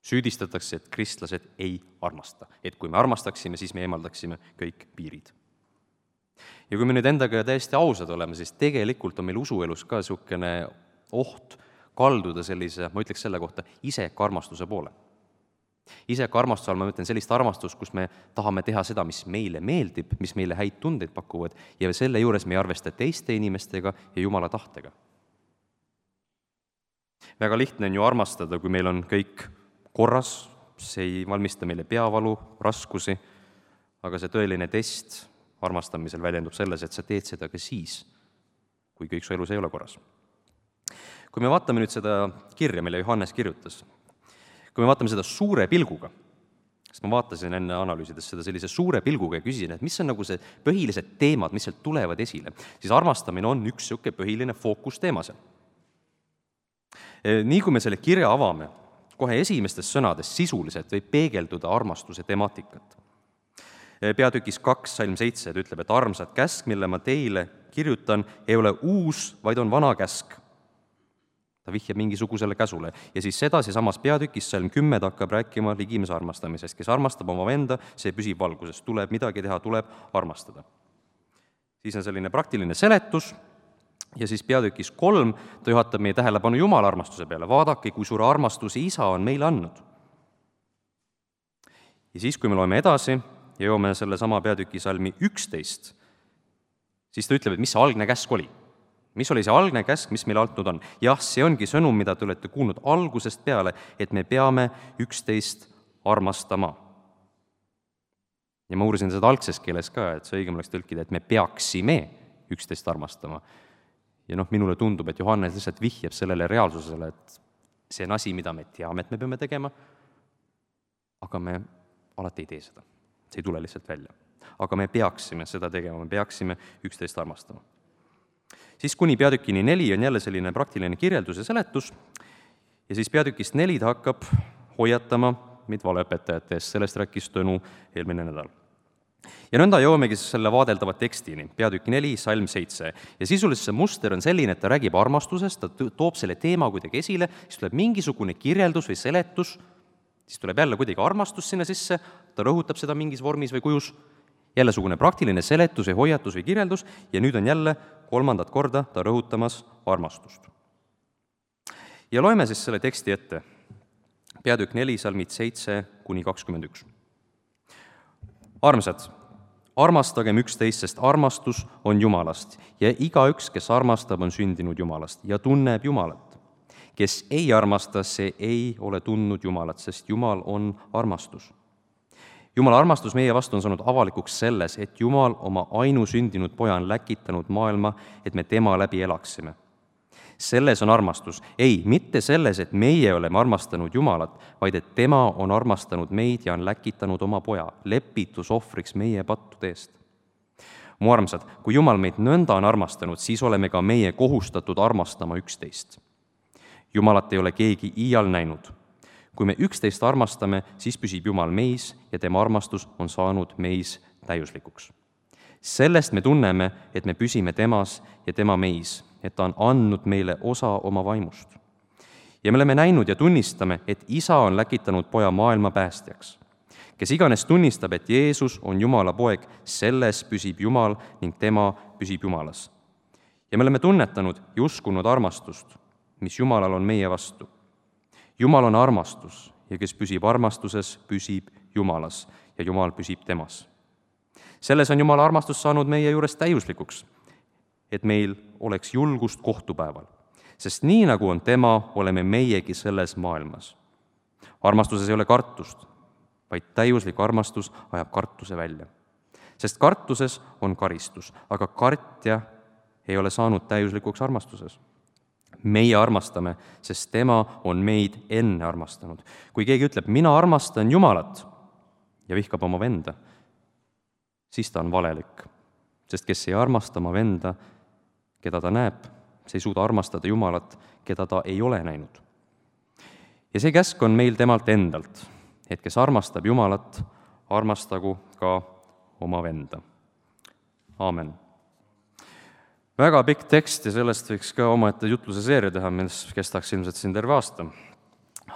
S3: Süüdistatakse, et kristlased ei armasta. Et kui me armastaksime, siis me eemaldaksime kõik piirid. Ja kui me nüüd endaga täiesti ausad oleme, siis tegelikult on meil usuelus ka niisugune oht kalduda sellise, ma ütleks selle kohta, isekarmastuse poole. Isekarmastuse all ma mõtlen sellist armastust, kus me tahame teha seda, mis meile meeldib, mis meile häid tundeid pakuvad ja selle juures me ei arvesta teiste inimestega ja Jumala tahtega. Väga lihtne on ju armastada, kui meil on kõik korras, see ei valmista meile peavalu, raskusi, aga see tõeline test armastamisel väljendub selles, et sa teed seda ka siis, kui kõik su elus ei ole korras. Kui me vaatame nüüd seda kirja, mille Johannes kirjutas, kui me vaatame seda suure pilguga, sest ma vaatasin enne analüüsides seda sellise suure pilguga ja küsisin, et mis on nagu see põhilised teemad, mis sealt tulevad esile, siis armastamine on üks niisugune põhiline fookusteema seal. Nii kui me selle kirja avame, kohe esimestes sõnades sisuliselt võib peegelduda armastuse temaatikat. Peatükis 2, salm 7 ütleb, et armsad käsk, mille ma teile kirjutan, ei ole uus, vaid on vana käsk. Ta vihjab mingisugusele käsule. Ja siis sedasi samas peatükis salm 10 hakkab rääkima ligimese armastamisest. Kes armastab oma venda, see püsib valguses. Tuleb midagi teha, tuleb armastada. Siis on selline praktiline seletus ja siis peatükis 3 ta juhatab meie tähelepanu Jumala armastuse peale. Vaadake, kui suure armastuse isa on meile andnud. Ja siis, kui me loeme edasi ja joome selle sama peatüki salmi 11, siis ta ütleb, et mis see algne käsk oli. Mis oli see algne käsk, mis meile antud on? Jah, see ongi sõnum, mida te olete kuulnud algusest peale, et me peame üksteist armastama. Ja ma uurisin seda algses keeles ka, et see õigem oleks tõlkida, et me peaksime üksteist armastama. Ja minule tundub, et Johannes lihtsalt vihjab sellele reaalsusele, et see on asi, mida me teame, et me peame tegema, aga me alati ei tee seda. See ei tule lihtsalt välja. Aga me peaksime seda tegema, me peaksime üksteist armastama. Siis kuni peatükini 4 on jälle selline praktiline kirjeldus ja seletus ja siis peatükist 4 ta hakkab hoiatama meid valeõpetajate eest, sellest rääkis Tõnu eelmine nädal. Ja nõnda jõuamegi selle vaadeldava tekstini, peatükk 4, salm 7. Ja sisuliselt see muster on selline, et ta räägib armastusest, ta toob selle teema kuidagi esile, siis tuleb mingisugune kirjeldus või seletus, siis tuleb jälle kuidagi armastus sinna sisse, ta rõhutab seda mingis vormis või kujus, jällesugune praktiline seletus või hoiatus või kirjeldus ja nüüd on jälle 3. korda ta rõhutamas armastust. Ja loeme siis selle teksti ette. Peatükk 4, salmid 7-21. Armsad, armastagem üksteist, sest armastus on Jumalast ja igaüks, kes armastab, on sündinud Jumalast ja tunneb Jumalat. Kes ei armasta, see ei ole tundnud Jumalat, sest Jumal on armastus. Jumala armastus meie vastu on saanud avalikuks selles, et Jumal oma ainusündinud poja on läkitanud maailma, et me tema läbi elaksime. Selles on armastus. Ei, mitte selles, et meie oleme armastanud Jumalat, vaid et tema on armastanud meid ja on läkitanud oma poja, lepitusohvriks meie pattude eest. Mu armsad, kui Jumal meid nõnda on armastanud, siis oleme ka meie kohustatud armastama üksteist. Jumalat ei ole keegi iial näinud. Kui me üksteist armastame, siis püsib Jumal meis ja tema armastus on saanud meis täiuslikuks. Sellest me tunneme, et me püsime temas ja tema meis, et ta on andnud meile osa oma vaimust. Ja me oleme näinud ja tunnistame, et isa on läkitanud poja maailma päästjaks. Kes iganes tunnistab, et Jeesus on Jumala poeg, selles püsib Jumal ning tema püsib Jumalas. Ja me oleme tunnetanud ja uskunud armastust, mis Jumalal on meie vastu. Jumal on armastus ja kes püsib armastuses, püsib Jumalas ja Jumal püsib temas. Selles on Jumala armastus saanud meie juures täiuslikuks, et meil oleks julgust kohtupäeval, sest nii nagu on tema, oleme meiegi selles maailmas. Armastuses ei ole kartust, vaid täiuslik armastus ajab kartuse välja. Sest kartuses on karistus, aga kartja ei ole saanud täiuslikuks armastuses. Meie armastame, sest tema on meid enne armastanud. Kui keegi ütleb, mina armastan Jumalat ja vihkab oma venda, siis ta on valelik. Sest kes ei armasta oma venda, keda ta näeb, see ei suuda armastada Jumalat, keda ta ei ole näinud. Ja see käsk on meil temalt endalt, et kes armastab Jumalat, armastagu ka oma venda. Aamen. Väga pikk tekst ja sellest võiks ka omaette jutluse seeria teha, mis kestaks ilmselt siin terve aasta.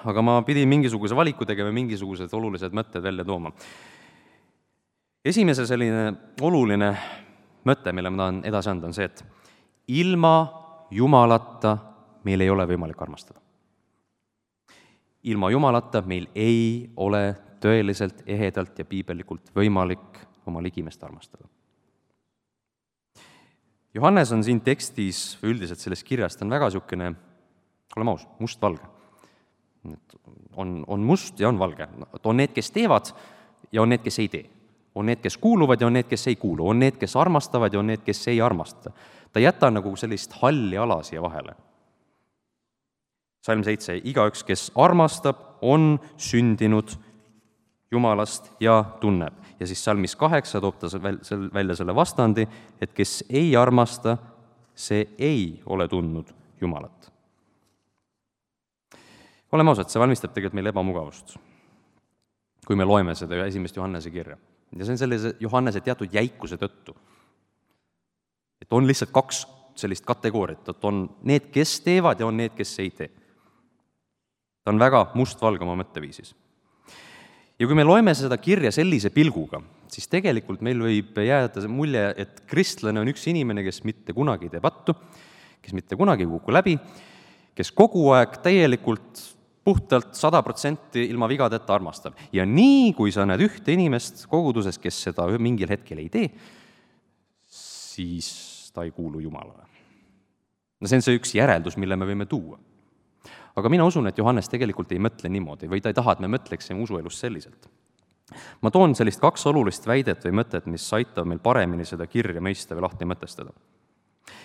S3: Aga ma pidin mingisuguse valiku tegema, mingisugused olulised mõtted välja tooma. Esimese selline oluline mõte, mille ma tahan edasi anda, on see, et ilma Jumalata meil ei ole võimalik armastada. Ilma Jumalata meil ei ole tõeliselt, ehedalt ja piibellikult võimalik oma ligimest armastada. Johannes on siin tekstis, üldiselt selles kirjas, ta on väga niisugune oleme aus, must-valge. On must ja on valge. On need, kes teevad ja on need, kes ei tee. On need, kes kuuluvad ja on need, kes ei kuulu. On need, kes armastavad ja on need, kes ei armasta. Ta jäta nagu sellist halli ala siia vahele. Salm 7. Igaüks, kes armastab, on sündinud Jumalast ja tunneb. Ja siis salmis 8 toob ta välja selle vastandi, et kes ei armasta, see ei ole tundnud Jumalat. Oleme ausad, see valmistab tegelikult meil ebamugavust, kui me loeme seda 1. Johannese kirja. Ja see on sellise Johannese teatud jäikuse tõttu. Et on lihtsalt 2 sellist kategooriat, et on need, kes teevad ja on need, kes ei tee. Ta on väga must-valge oma mõtteviisis. Ja kui me loeme seda kirja sellise pilguga, siis tegelikult meil võib jääda see mulje, et kristlane on üks inimene, kes mitte kunagi ei tee pattu, kes mitte kunagi ei kuku läbi, kes kogu aeg täielikult puhtalt 100% ilma vigadeta armastab. Ja nii, kui sa näed ühte inimest koguduses, kes seda mingil hetkel ei tee, siis ta ei kuulu Jumalale. No see on see üks järeldus, mille me võime tuua. Aga mina usun, et Johannes tegelikult ei mõtle niimoodi või ta ei taha, et me mõtleksime usuelust selliselt. Ma toon sellist 2 olulist väidet või mõtet, mis aitab meil paremini seda kirja mõista või lahti mõtestada.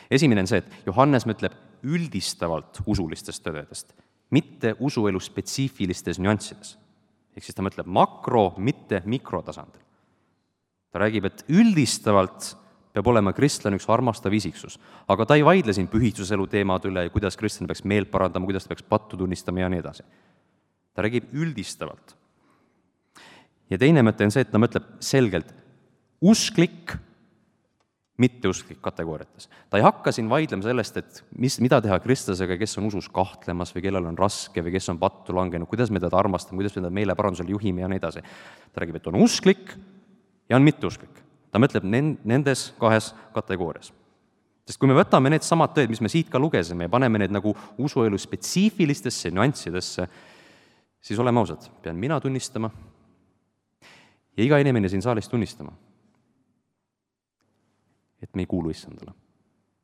S3: Esimene on see, et Johannes mõtleb üldistavalt usulistest tõdedest, mitte usuelu spetsiifilistes nüanssides. Ehk siis ta mõtleb makro, mitte mikrotasandil. Ta räägib, et üldistavalt peab olema kristlane üks armastav isiksus, aga ta ei vaidle siin pühitsuselu teemad üle, kuidas kristlane peaks meelt parandama, kuidas ta peaks pattu tunnistama ja nii edasi. Ta räägib üldistavalt. Ja teine mõte on see, et ta mõtleb selgelt usklik, mitteusklik kategooriates. Ta ei hakka siin vaidlema sellest, et mida teha kristlasega, kes on usus kahtlemas või kellel on raske või kes on pattu langenud, kuidas me teda armastame, kuidas me teda meeleparandusel juhime ja nii edasi. Ta räägib, et on usklik ja on mitteusklik. Ta mõtleb nendes 2 kategoorias. Sest kui me võtame need samad tõed, mis me siit ka lugesime ja paneme need nagu usuelu spetsiifilistesse nüanssidesse, siis oleme ausad, pean mina tunnistama ja iga inimene siin saalis tunnistama, et me ei kuulu Issandale.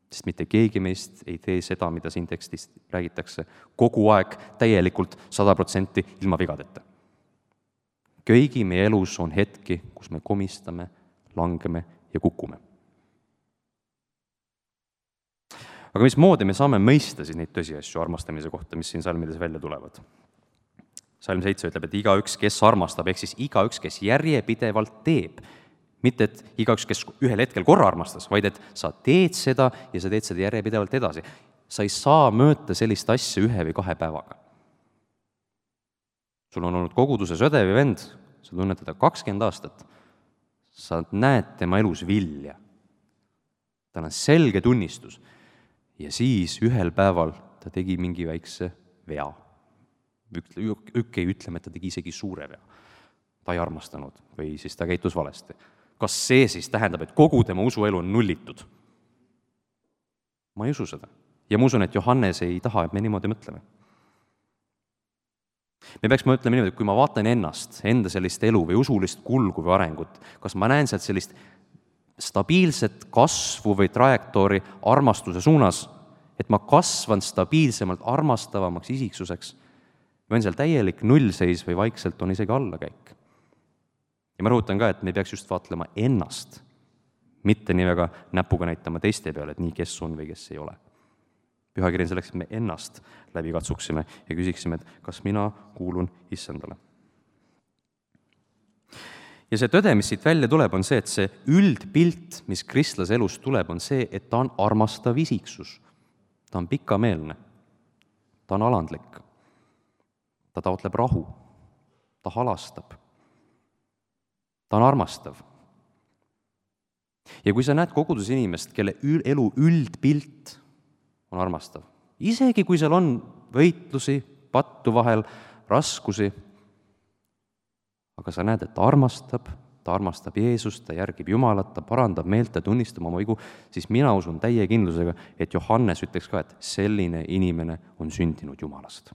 S3: Sest mitte keegi meist ei tee seda, mida siin tekstis räägitakse kogu aeg täielikult 100% ilma vigadeta. Kõigi meie elus on hetki, kus me komistame, langeme ja kukume. Aga mismoodi me saame mõista siis neid tõsiasju armastamise kohta, mis siin salmides välja tulevad? Salm 7 ütleb, et igaüks, kes armastab, ehk siis igaüks, kes järjepidevalt teeb. Mitte, et igaüks, kes ühel hetkel korra armastas, vaid et sa teed seda ja sa teed seda järjepidevalt edasi. Sa ei saa mõõta sellist asja 1 või 2 päevaga. Sul on olnud koguduses õde või vend, sa tunned teda 20 aastat, sa näed tema elus vilja. Tal on selge tunnistus. Ja siis ühel päeval ta tegi mingi väikse vea. Ei ütleme, et ta tegi isegi suure vea. Ta ei armastanud või siis ta käitus valesti. Kas see siis tähendab, et kogu tema usuelu on nullitud? Ma ei usu seda. Ja ma usun, et Johannes ei taha, et me niimoodi mõtleme. Me peaks mõtlema niimoodi, et kui ma vaatan ennast, enda sellist elu või usulist kulgu või arengut, kas ma näen sealt sellist stabiilset kasvu või trajektoori armastuse suunas, et ma kasvan stabiilsemalt armastavamaks isiksuseks, või on seal täielik nullseis või vaikselt on isegi allakäik. Ja ma rõhutan ka, et me peaks just vaatlema ennast, mitte nii väga näpuga näitama teiste peale, et nii kes on või kes ei ole. Pühakiri on selleks, et me ennast läbi katsuksime ja küsiksime, et kas mina kuulun Issandale. Ja see tõde, mis siit välja tuleb, on see, et see üldpilt, mis kristlase elus tuleb, on see, et ta on armastav isiksus. Ta on pikameelne. Ta on alandlik. Ta taotleb rahu. Ta halastab. Ta on armastav. Ja kui sa näed kogudus inimest, kelle elu üldpilt on armastav. Isegi kui seal on võitlusi, pattu vahel, raskusi, aga sa näed, et ta armastab Jeesust, ta järgib Jumalat, ta parandab meelt, ta tunnistab oma vigu, siis mina usun täie kindlusega, et Johannes ütleks ka, et selline inimene on sündinud Jumalast.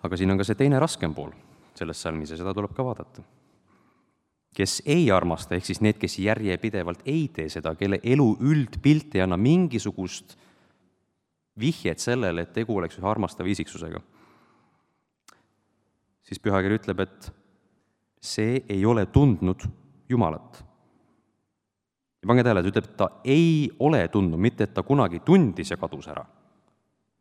S3: Aga siin on ka see teine raskem pool selles salmis ja seda tuleb ka vaadata. kes ei armasta, ehk siis need, kes järjepidevalt ei tee seda, kelle elu üldpilt ei anna mingisugust vihjet sellele, et tegu oleks ühe armastava isiksusega, siis pühakiri ütleb, et see ei ole tundnud Jumalat. Ja pange tähele, et ütleb, et ta ei ole tundnud, mitte et ta kunagi tundis ja kadus ära,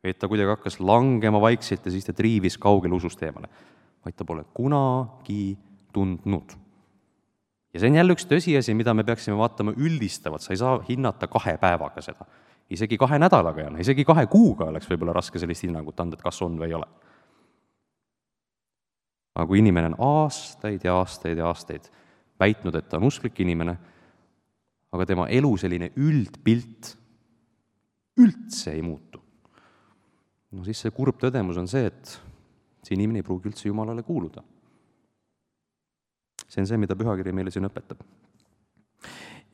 S3: et ta kuidagi hakkas langema vaikselt ja siis ta triivis kaugele usust eemale, vaid ta pole kunagi tundnud. Ja see on jälle üks tõsiasi, mida me peaksime vaatama üldistavalt, sa ei saa hinnata 2 päevaga seda. Isegi 2 nädalaga ja isegi 2 kuuga oleks võib-olla raske sellist hinnangut anda, et kas on või ei ole. Aga kui inimene on aastaid ja aastaid ja aastaid väitnud, et ta on usklik inimene, aga tema elu selline üldpilt üldse ei muutu, no siis see kurb tõdemus on see, et see inimene ei pruugi üldse Jumalale kuuluda. See on see, mida pühakiri meile siin õpetab.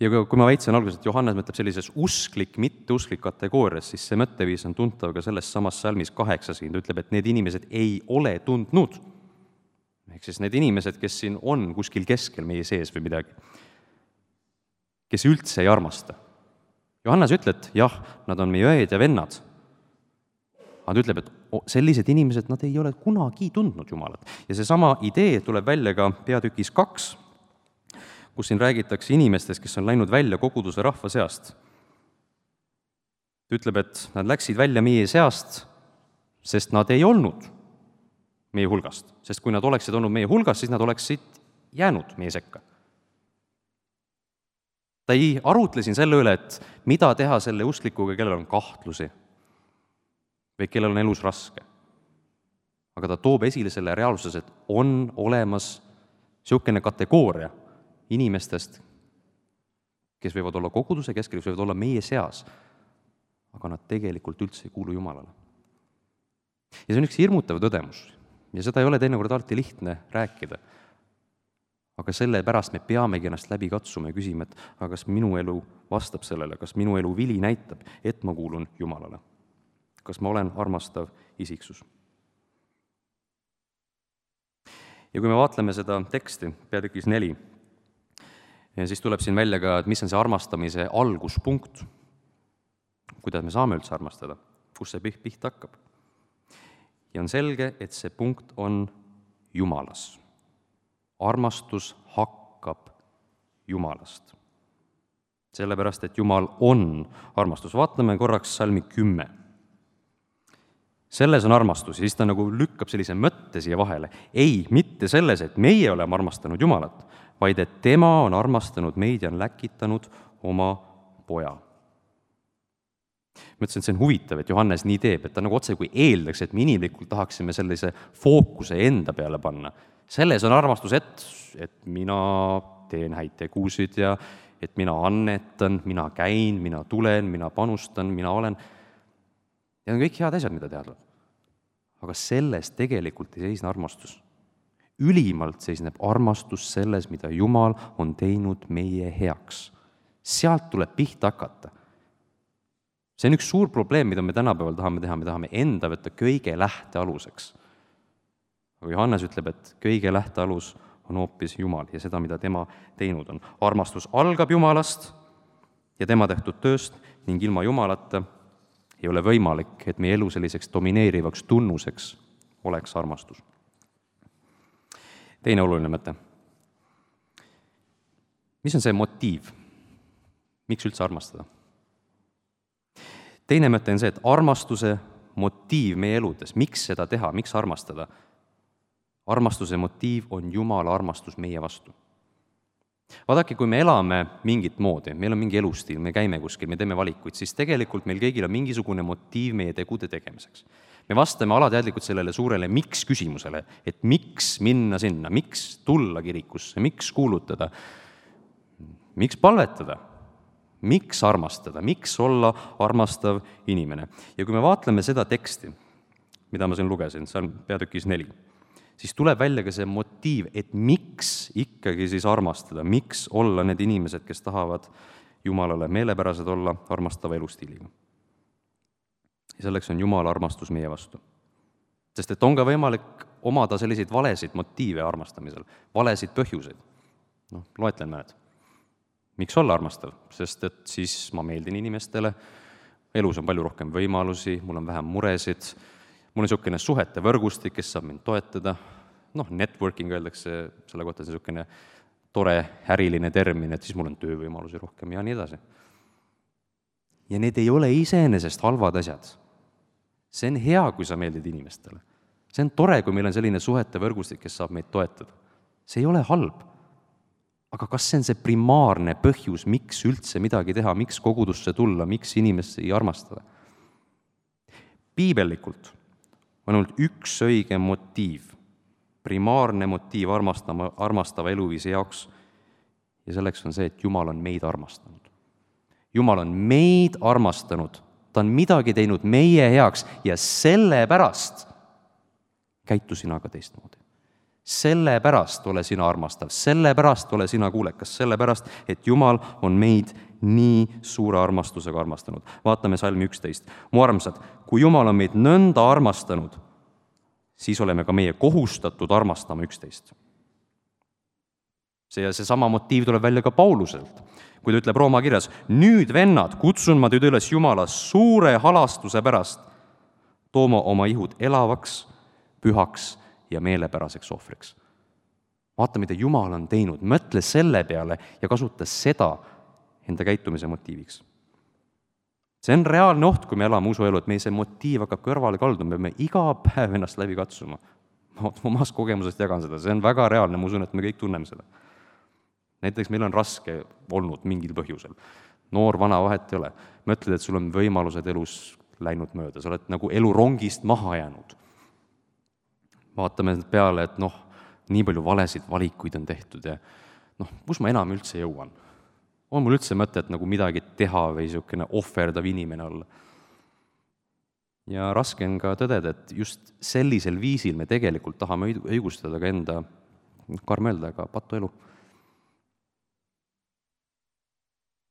S3: Ja kui ma väitsin alguses, et Johannes mõtleb sellises usklik, mitteusklik kategoorias, siis see mõtteviis on tuntav ka selles samas salmis 8, siin ta ütleb, et need inimesed ei ole tundnud. Ehk siis need inimesed, kes siin on kuskil keskel meie sees või midagi, kes üldse ei armasta. Johannes ütleb, et jah, nad on meie õed ja vennad. Aga ta ütleb, et sellised inimesed, nad ei ole kunagi tundnud Jumalat. Ja seesama idee tuleb välja ka peatükis 2, kus siin räägitakse inimestest, kes on läinud välja koguduse rahva seast. Ta ütleb, et nad läksid välja meie seast, sest nad ei olnud meie hulgast. Sest kui nad oleksid olnud meie hulgast, siis nad oleksid jäänud meie sekka. Ta ei arutle siin selle üle, et mida teha selle usklikuga, kellel on kahtlusi või kellel on elus raske. Aga ta toob esile selle reaalsuses, et on olemas niisugune kategooria inimestest, kes võivad olla koguduse keskel, kes võivad olla meie seas, aga nad tegelikult üldse ei kuulu Jumalale. Ja see on üks hirmutav tõdemus ja seda ei ole teinekord alati lihtne rääkida. Aga sellepärast me peamegi ennast läbi katsuma ja küsima, et aga kas minu elu vastab sellele, kas minu elu vili näitab, et ma kuulun Jumalale. Kas ma olen armastav isiksus. Ja kui me vaatleme seda teksti, peatükis 4, siis tuleb siin välja ka, et mis on see armastamise alguspunkt, kuidas me saame üldse armastada, kus see pihta hakkab. Ja on selge, et see punkt on Jumalas. Armastus hakkab Jumalast. Sellepärast, et Jumal on armastus. Vaatame korraks salmi 10. Selles on armastus, ja siis ta nagu lükkab sellise mõtte siia vahele. Ei, mitte selles, et meie oleme armastanud Jumalat, vaid et tema on armastanud meid ja on läkitanud oma poja. Ma ütlesin, et see on huvitav, et Johannes nii teeb, et ta nagu otse kui eeldaks, et me inimlikult tahaksime sellise fookuse enda peale panna. Selles on armastus, et mina teen häid tegusid ja et mina annetan, mina käin, mina tulen, mina panustan, mina olen. Ja on kõik head asjad, mida teha tuleb. Aga selles tegelikult ei seisne armastus. Ülimalt seisneb armastus selles, mida Jumal on teinud meie heaks. Sealt tuleb pihta hakata. See on üks suur probleem, mida me tänapäeval tahame teha, me tahame enda võtta kõige lähtealuseks. Aga Johannes ütleb, et kõige lähtealus on hoopis Jumal ja seda, mida tema teinud on. Armastus algab Jumalast ja tema tehtud tööst ning ilma Jumalata ei ole võimalik, et meie elu selliseks domineerivaks tunnuseks oleks armastus. Teine oluline mõte. Mis on see motiiv? Miks üldse armastada? Teine mõte on see, et armastuse motiiv meie eludes, miks seda teha, miks armastada? Armastuse motiiv on Jumala armastus meie vastu. Vaadake, kui me elame mingit moodi, meil on mingi elustiil, me käime kuskil, me teeme valikuid, siis tegelikult meil kõigil on mingisugune motiiv meie tegude tegemiseks. Me vastame alateadlikult sellele suurele miks küsimusele, et miks minna sinna, miks tulla kirikusse, miks kuulutada, miks palvetada, miks armastada, miks olla armastav inimene. Ja kui me vaatleme seda teksti, mida ma siin lugesin, see on peatükis 4, siis tuleb välja ka see motiiv, et miks ikkagi siis armastada, miks olla need inimesed, kes tahavad Jumalale meelepärased olla armastava elustiiliga. Ja selleks on Jumala armastus meie vastu. Sest et on ka võimalik omada selliseid valesid motiive armastamisel, valesid põhjuseid. Loetlen mõned. Miks olla armastav? Sest et siis ma meeldin inimestele, elus on palju rohkem võimalusi, mul on vähem muresid, mul on niisugune suhete võrgustik, kes saab mind toetada, networking öeldakse selle kohta, see niisugune tore äriline termin, et siis mul on töövõimalusi rohkem ja nii edasi. Ja need ei ole iseenesest halvad asjad. See on hea, kui sa meeldid inimestele. See on tore, kui meil on selline suhete võrgustik, kes saab meid toetada. See ei ole halb. Aga kas see on see primaarne põhjus, miks üldse midagi teha, miks kogudusse tulla, miks inimesi armastada? Piibellikult on ainult üks õige motiiv, primaarne motiiv armastava eluviisi jaoks, ja selleks on see, et Jumal on meid armastanud. Jumal on meid armastanud, ta on midagi teinud meie heaks ja sellepärast käitu sina ka teistmoodi. Sellepärast ole sina armastav, sellepärast ole sina kuulekas, sellepärast, et Jumal on meid nii suure armastusega armastanud. Vaatame salmi 11. Mu armsad, kui Jumal on meid nõnda armastanud, siis oleme ka meie kohustatud armastama üksteist. Seesama motiiv tuleb välja ka Pauluselt, kui ta ütleb Rooma kirjas, nüüd vennad, kutsun ma teid üles Jumala suure halastuse pärast tooma oma ihud elavaks, pühaks ja meelepäraseks ohvriks. Vaata, mida Jumal on teinud, mõtle selle peale ja kasuta seda enda käitumise motiiviks. See on reaalne oht, kui me elame usuelu, et meie see motiiv hakkab kõrvale kalduma, me peame iga päev ennast läbi katsuma. Ma omast kogemusest jagan seda, see on väga reaalne, ma usun, et me kõik tunneme seda. Näiteks meil on raske olnud mingil põhjusel. Noor, vana, vahet ei ole. Mõtled, et sul on võimalused elus läinud mööda, sa oled nagu elu rongist maha jäänud. Vaatame peale, et nii palju valesid valikuid on tehtud ja kus ma enam üldse jõuan? On mul üldse mõtet nagu midagi teha või niisugune ohverdav inimene olla? Ja raske on ka tõdeda, et just sellisel viisil me tegelikult tahame õigustada ka enda, karm öelda, aga patu elu.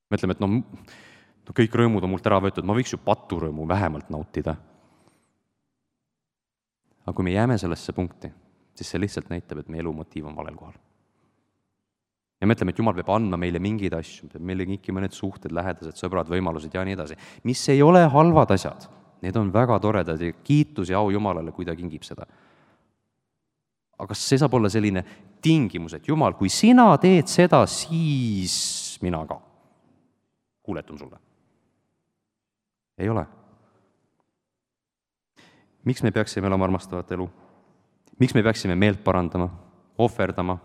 S3: Me ütleme, et kõik rõõmud on mult ära võetud, ma võiks ju paturõõmu vähemalt nautida. Aga kui me jääme sellesse punkti, siis see lihtsalt näitab, et meie elumotiiv on valel kohal. Ja me ütleme, et Jumal peab andma meile mingeid asju, meile kõik mõned suhted, lähedased, sõbrad, võimalused ja nii edasi. Mis ei ole halvad asjad, need on väga toredad ja kiitus ja au Jumalale, kui ta kingib seda. Aga see saab olla selline tingimus, et Jumal, kui sina teed seda, siis mina ka kuuletun sulle. Ei ole. Miks me peaksime elama armastavat elu? Miks me peaksime meelt parandama, ohverdama,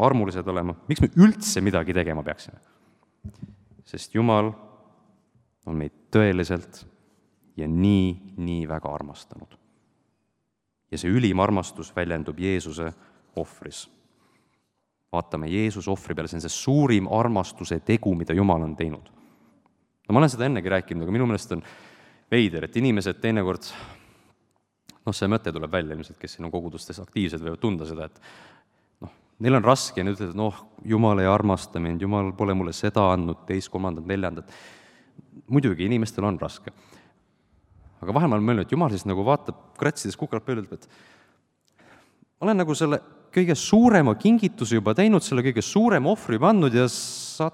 S3: armulised olema? Miks me üldse midagi tegema peaksime? Sest Jumal on meid tõeliselt ja nii väga armastanud. Ja see ülim armastus väljendub Jeesuse ohvris. Vaatame Jeesuse ohvri peale, see on see suurim armastuse tegu, mida Jumal on teinud. Ma olen seda ennegi rääkinud, aga minu meelest on veider, et inimesed teinekord see mõte tuleb välja, ilmselt, kes siin on kogudustes aktiivsed võivad tunda seda, et neil on raske ja nüüd ütled, et Jumal ei armasta mind, Jumal pole mulle seda andnud, teist, kolmandat, neljandat. Muidugi, inimestel on raske. Aga vahel ma olen mõelnud, et Jumal siis nagu vaatab, kratsides kukralt peale, et ma olen nagu selle kõige suurema kingituse juba teinud, selle kõige suurema ohvri pandud ja sa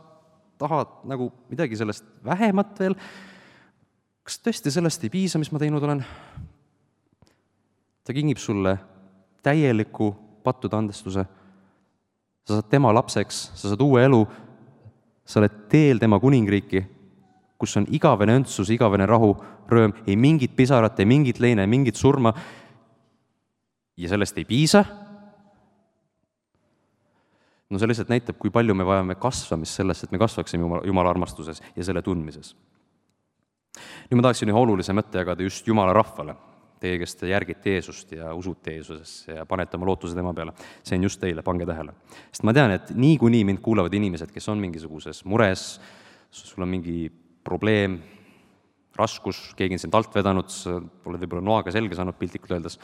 S3: tahad nagu midagi sellest vähemat veel. Kas tõesti sellest ei piisa, mis ma teinud olen? Ta kingib sulle täieliku pattude andestuse. Sa saad tema lapseks, sa saad uue elu, sa oled teel tema kuningriiki, kus on igavene õndsus, igavene rahu, rõõm, ei mingit pisarat, ei mingit leine, ei mingit surma. Ja sellest ei piisa. See lihtsalt näitab, kui palju me vajame kasvamist sellest, et me kasvaksime Jumala armastuses ja selle tundmises. Nüüd ma tahaksin ühe olulise mõtte jagada just Jumala rahvale. Teie, kes te järgite Jeesust ja usute Jeesusesse ja panete oma lootuse tema peale. See on just teile, pange tähele. Sest ma tean, et niikuinii mind kuulavad inimesed, kes on mingisuguses mures, sul on mingi probleem, raskus, keegi on sind alt vedanud, oled võib-olla noaga selge saanud piltlikult öeldes.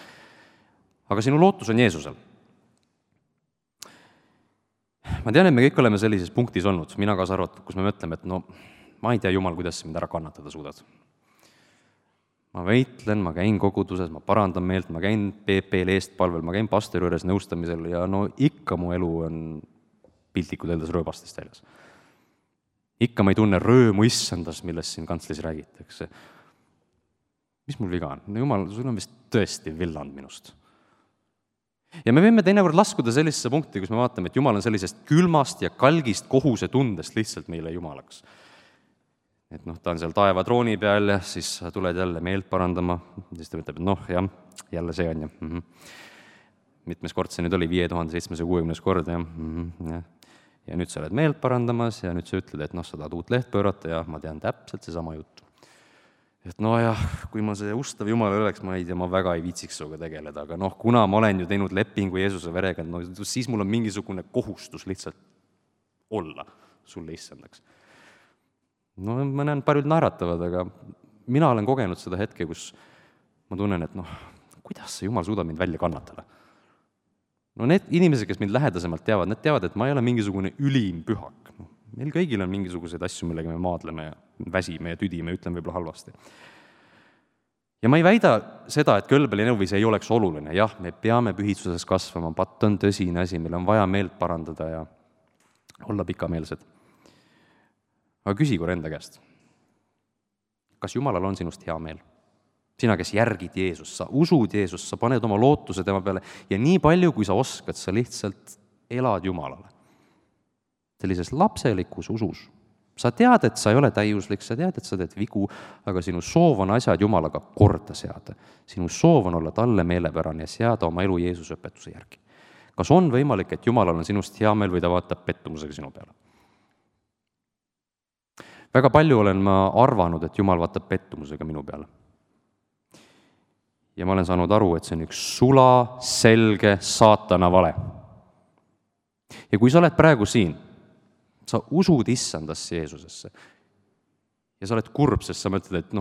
S3: Aga sinu lootus on Jeesusel. Ma tean, et me kõik oleme sellises punktis olnud, mina kaasa arvatud, kus me mõtleme, et ma ei tea, Jumal, kuidas mind ära kannatada suudad. Ma võitlen, ma käin koguduses, ma parandan meelt, ma käin PP-l eestpalvel, ma käin pastori juures nõustamisel ja ikka mu elu on piltlikult öeldes rööbastest väljas. Ikka ma ei tunne röömu issandas, millest siin kantslis räägitakse. Mis mul viga on? No jumal, sul on vist tõesti villand minust. Ja me võime teinekord laskuda sellisesse punkti, kus me vaatame, et Jumal on sellisest külmast ja kalgist kohuse tundest lihtsalt meile Jumalaks. Et ta on seal taeva trooni peal ja siis tuled jälle meelt parandama, siis ta ütleb, et jah, jälle see on ja mitmes kord see nüüd oli, 5760 kord ja nüüd sa oled meelt parandamas ja nüüd sa ütled, et sa tahad uut leht pöörata ja ma tean täpselt seesama juttu. Et kui ma see ustav Jumal oleks, ma ei tea, ma väga ei viitsiks suga tegeleda, aga kuna ma olen ju teinud lepingu Jeesuse verega, siis mul on mingisugune kohustus lihtsalt olla sulle issandaks. Ma näen, paljud naeratavad, aga mina olen kogenud seda hetke, kus ma tunnen, et kuidas see Jumal suudab mind välja kannatada. Need inimesed, kes mind lähedasemalt teavad, need teavad, et ma ei ole mingisugune ülim pühak. Meil kõigil on mingisuguseid asju, millega me maadleme ja väsime ja tüdime, ütlen võib-olla halvasti. Ja ma ei väida seda, et kõlbelinõuvis ei oleks oluline. Jah, me peame pühitsuses kasvama, patt on tõsine asi, meil on vaja meelt parandada ja olla pikameelsed. Aga küsi korra enda käest. Kas Jumalal on sinust hea meel? Sina, kes järgid Jeesust, sa usud Jeesust, sa paned oma lootuse tema peale ja nii palju, kui sa oskad, sa lihtsalt elad Jumalale. Sellises lapselikus usus. Sa tead, et sa ei ole täiuslik, sa tead, et sa teed vigu, aga sinu soov on asjad Jumalaga korda seada. Sinu soov on olla talle meelepärane ja seada oma elu Jeesuse õpetuse järgi. Kas on võimalik, et Jumalal on sinust hea meel või ta vaatab pettumusega sinu peale? Väga palju olen ma arvanud, et Jumal vaatab pettumusega minu peale. Ja ma olen saanud aru, et see on üks sula, selge saatana vale. Ja kui sa oled praegu siin, sa usud issandasse Jeesusesse ja sa oled kurb, sest sa mõtled, et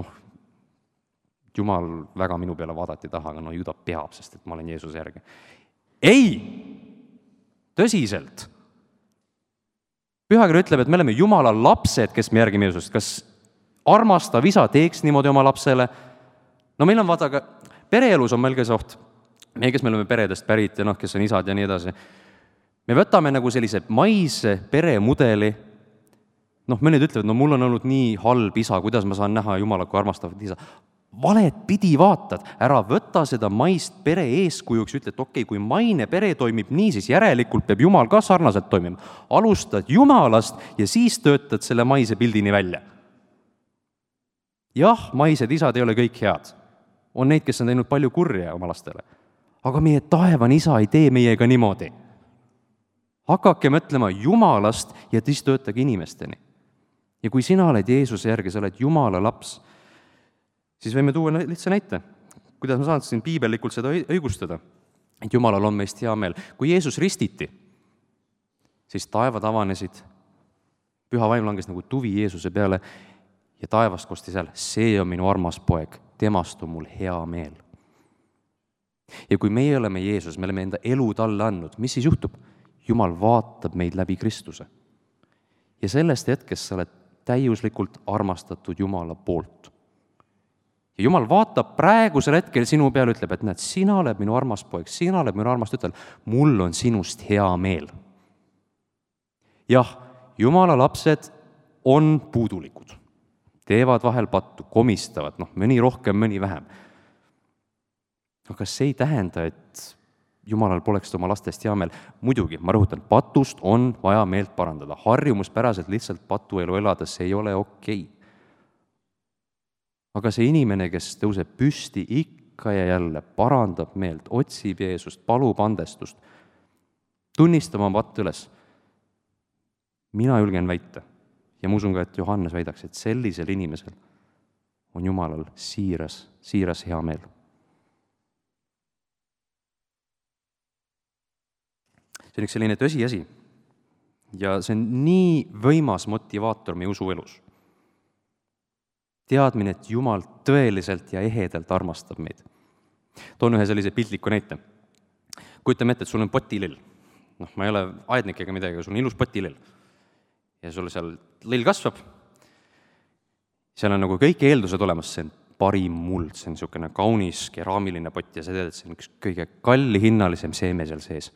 S3: Jumal väga minu peale vaadati taha, aga ju ta peab, sest et ma olen Jeesuse järgi. Ei! Tõsiselt! Pühakiri ütleb, et me oleme Jumala lapsed, kes me järgime Jeesust. Kas armastav isa teeks niimoodi oma lapsele? Meil on vaata, aga pereelus on meil ka see oht. Meie, kes me oleme peredest pärit ja kes on isad ja nii edasi. Me võtame nagu sellise maise peremudeli. Mõned ütlevad, mul on olnud nii halb isa, kuidas ma saan näha Jumala kui armastavat isa. Valet pidi vaatad, ära võta seda maist pere eeskujuks, ütled, okei, kui maine pere toimib nii, siis järelikult peab Jumal ka sarnaselt toimima. Alustad Jumalast ja siis töötad selle maise pildini välja. Jah, maised isad ei ole kõik head. On neid, kes on teinud palju kurja oma lastele. Aga meie taevan isa ei tee meiega niimoodi. Hakake mõtlema Jumalast ja siis töötage inimesteni. Ja kui sina oled Jeesuse järgi, sa oled Jumala laps, siis võime tuua lihtsa näite. Kuidas ma saan siin piibellikult seda õigustada, et Jumalal on meist hea meel. Kui Jeesus ristiti, siis taevad avanesid, püha vaim langes nagu tuvi Jeesuse peale ja taevast kosti seal, see on minu armas poeg, temast on mul hea meel. Ja kui meie oleme Jeesus, me oleme enda elu talle andnud, mis siis juhtub? Jumal vaatab meid läbi Kristuse. Ja sellest hetkest sa oled täiuslikult armastatud Jumala poolt. Ja Jumal vaatab praegusel hetkel sinu peale, ütleb, et näed, sina oled minu armas poeg, sina oled minu armas tütar, mul on sinust hea meel. Jah, Jumala lapsed on puudulikud, teevad vahel pattu, komistavad, mõni rohkem, mõni vähem. Aga see ei tähenda, et Jumalal poleks oma lastest hea meel. Muidugi, ma rõhutan, patust on vaja meelt parandada. Harjumuspäraselt lihtsalt patuelu elades ei ole okei. Aga see inimene, kes tõuseb püsti ikka ja jälle, parandab meelt, otsib Jeesust, palub andestust, tunnistab oma patt üles. Mina julgen väita ja ma usun ka, et Johannes väidaks, et sellisel inimesel on Jumalal siiras hea meel. See on üks selline tõsiasi ja see on nii võimas motivaator meie usuelus. Teadmine, et Jumal tõeliselt ja ehedalt armastab meid. Toon ühe sellise piltliku näite. Kujutame ette, et sul on potilill. Ma ei ole aednik ega midagi, sul on ilus potilill. Ja sul seal lill kasvab. Seal on nagu kõik eeldused olemas, see on parim muld, see on niisugune kaunis keraamiline pott ja sa tead, et see on üks kõige kallihinnalisem seeme seal sees.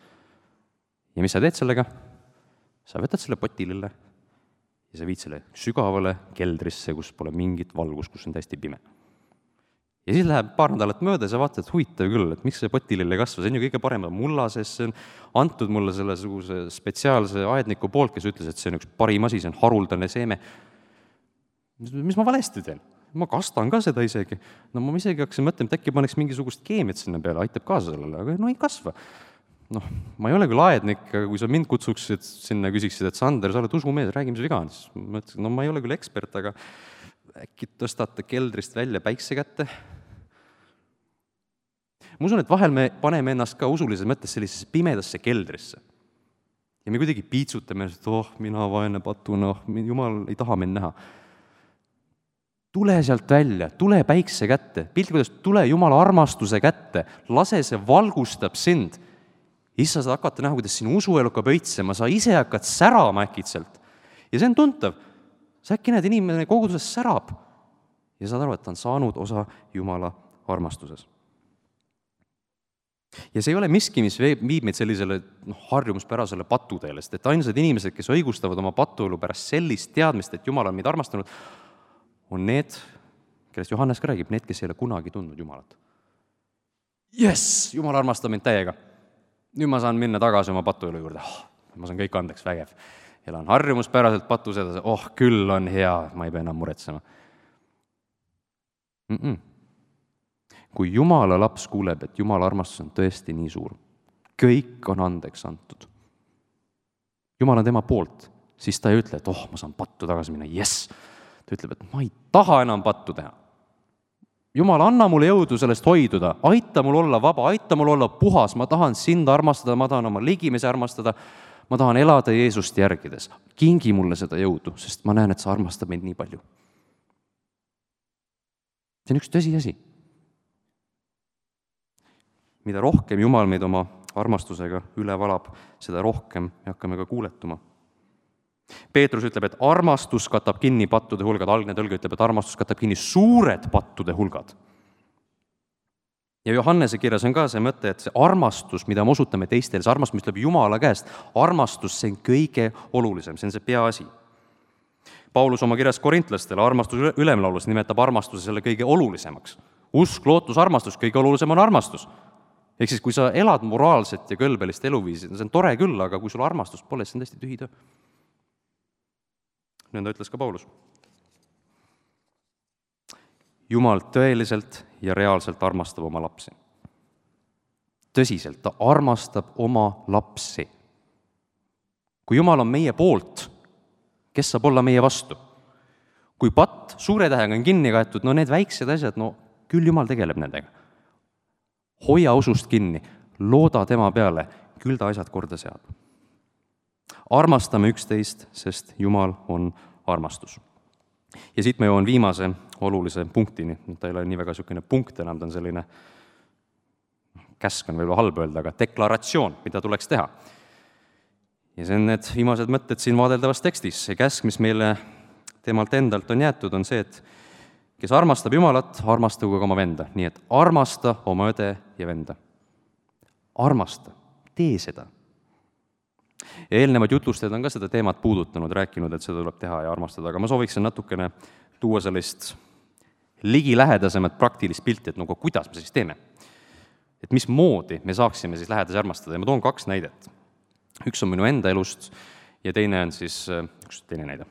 S3: Ja mis sa teed sellega? sa võtad selle potilille ja sa viid selle sügavale keldrisse, kus pole mingit valgust, kus on täiesti pime. Ja siis läheb paar nädalat mööda ja sa vaatad, et huvitav küll, et miks see potilill ei kasva, see on ju kõige parem mulla sees, see on antud mulle selle spetsiaalse aedniku poolt, kes ütles, et see on üks parim asi, see on haruldane seeme. Mis ma valesti teen? Ma kastan ka seda isegi. No ma isegi hakkasin mõtlema, et äkki paneks mingisugust keemiat sinna peale, aitab kaasa sellele, aga no ei kasva. Noh, ma ei ole küll aednik, aga kui sa mind kutsuksid sinna, küsiksid, et Sander, sa oled usumees, räägi, mis viga on, siis ma ütlesin, no ma ei ole küll ekspert, aga äkki tõstate keldrist välja päikse kätte. Ma usun, et vahel me paneme ennast ka usulises mõttes sellisesse pimedasse keldrisse. Ja me kuidagi piitsutame, et mina vaene patuna, Jumal ei taha mind näha. Tule sealt välja, tule päikse kätte, pilti kuidas tule Jumala armastuse kätte, lase see valgustab sind. Issa saad hakata näha, kuidas sinu usuelu hakkab õitsema, sa ise hakkad särama äkitselt. Ja see on tuntav. Sa äkki näed, inimene koguduses särab ja saad aru, et ta on saanud osa Jumala armastuses. Ja see ei ole miski, mis viib meid sellisele harjumuspärasele patuteele, sest et ainsad inimesed, kes õigustavad oma patuelu pärast sellist teadmist, et Jumal on meid armastanud, on need, kellest Johannes ka räägib, need, kes ei ole kunagi tundnud Jumalat. Jess, Jumal armastab mind täiega. Nüüd ma saan minna tagasi oma patuelu juurde. Ma saan kõik andeks vägev. Elan harjumuspäraselt patus edasi. Küll on hea, ma ei pea enam muretsema. Kui Jumala laps kuuleb, et Jumala armastus on tõesti nii suur, kõik on andeks antud. Jumal on tema poolt, siis ta ei ütle, et ma saan pattu tagasi minna, jess. Ta ütleb, et ma ei taha enam pattu teha. Jumal, anna mulle jõudu sellest hoiduda, aita mul olla vaba, aita mul olla puhas, ma tahan sind armastada, ma tahan oma ligimesi armastada, ma tahan elada Jeesust järgides. Kingi mulle seda jõudu, sest ma näen, et sa armastab meid nii palju. See on üks tõsiasi. Mida rohkem Jumal meid oma armastusega üle valab, seda rohkem me hakkame ka kuuletuma. Peetrus ütleb, et armastus katab kinni pattude hulgad, algne tõlge ütleb, et armastus katab kinni suured pattude hulgad. Ja Johannese kirjas on ka see mõte, et see armastus, mida me osutame teistele, see armastus, mis tuleb Jumala käest, armastus, see on kõige olulisem, see on see peaasi. Paulus oma kirjas korintlastele armastus ülemlaulus nimetab armastuse selle kõige olulisemaks. Usk, lootus, armastus, kõige olulisem on armastus. Ehk siis, kui sa elad moraalset ja kõlbelist eluviisi, see on tore küll, aga kui sul armastus pole, see on tõesti tühi töö. Nõnda ütles ka Paulus. Jumal tõeliselt ja reaalselt armastab oma lapsi. Tõsiselt, ta armastab oma lapsi. Kui Jumal on meie poolt, kes saab olla meie vastu? Kui patt suure tähega on kinni kaetud, need väiksed asjad, küll Jumal tegeleb nendega. Hoia usust kinni, looda tema peale, küll ta asjad korda seab. Armastame üksteist, sest Jumal on armastus. Ja siit ma jõuan viimase olulise punktini. Ta ei ole nii väga niisugune punkt enam, ta on selline, käsk on võib-olla halb öelda, aga deklaratsioon, mida tuleks teha. Ja see on need viimased mõtted siin vaadeldavas tekstis. See käsk, mis meile temalt endalt on jäetud, on see, et kes armastab Jumalat, armastagu ka oma venda. Nii et armasta oma õde ja venda. Armasta, tee seda. Ja eelnevad jutlustajad on ka seda teemat puudutanud, rääkinud, et seda tuleb teha ja armastada, aga ma sooviksin natukene tuua sellist ligilähedasemat praktilist pilti, et kuidas me siis teeme. Et mismoodi me saaksime siis lähedasi armastada ja ma toon 2 näidet. Üks on minu enda elust ja teine on siis üks teine näide.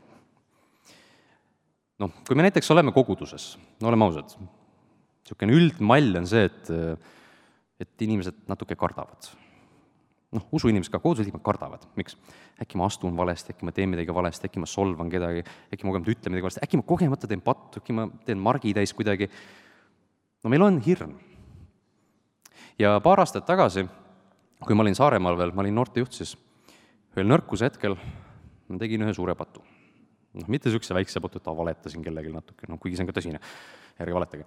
S3: Kui me näiteks oleme koguduses, oleme ausad, niisugune üldmall on see, et inimesed natuke kardavad. Usuinimesed ka koodusliikmed kardavad. Miks? Äkki ma astun valesti, äkki ma teen midagi valesti, äkki ma solvan kedagi, äkki ma kogemata ütlen midagi valesti, äkki ma kogemata teen pattu, äkki ma teen margi täis kuidagi. Meil on hirm. Ja paar aastat tagasi, kui ma olin Saaremaal veel, ma olin noortejuht, siis ühel nõrkuse hetkel ma tegin ühe suure patu. Mitte niisuguse väikse patu, et valetasin kellelegi natuke, kuigi see on ka tõsine, ärge valetage.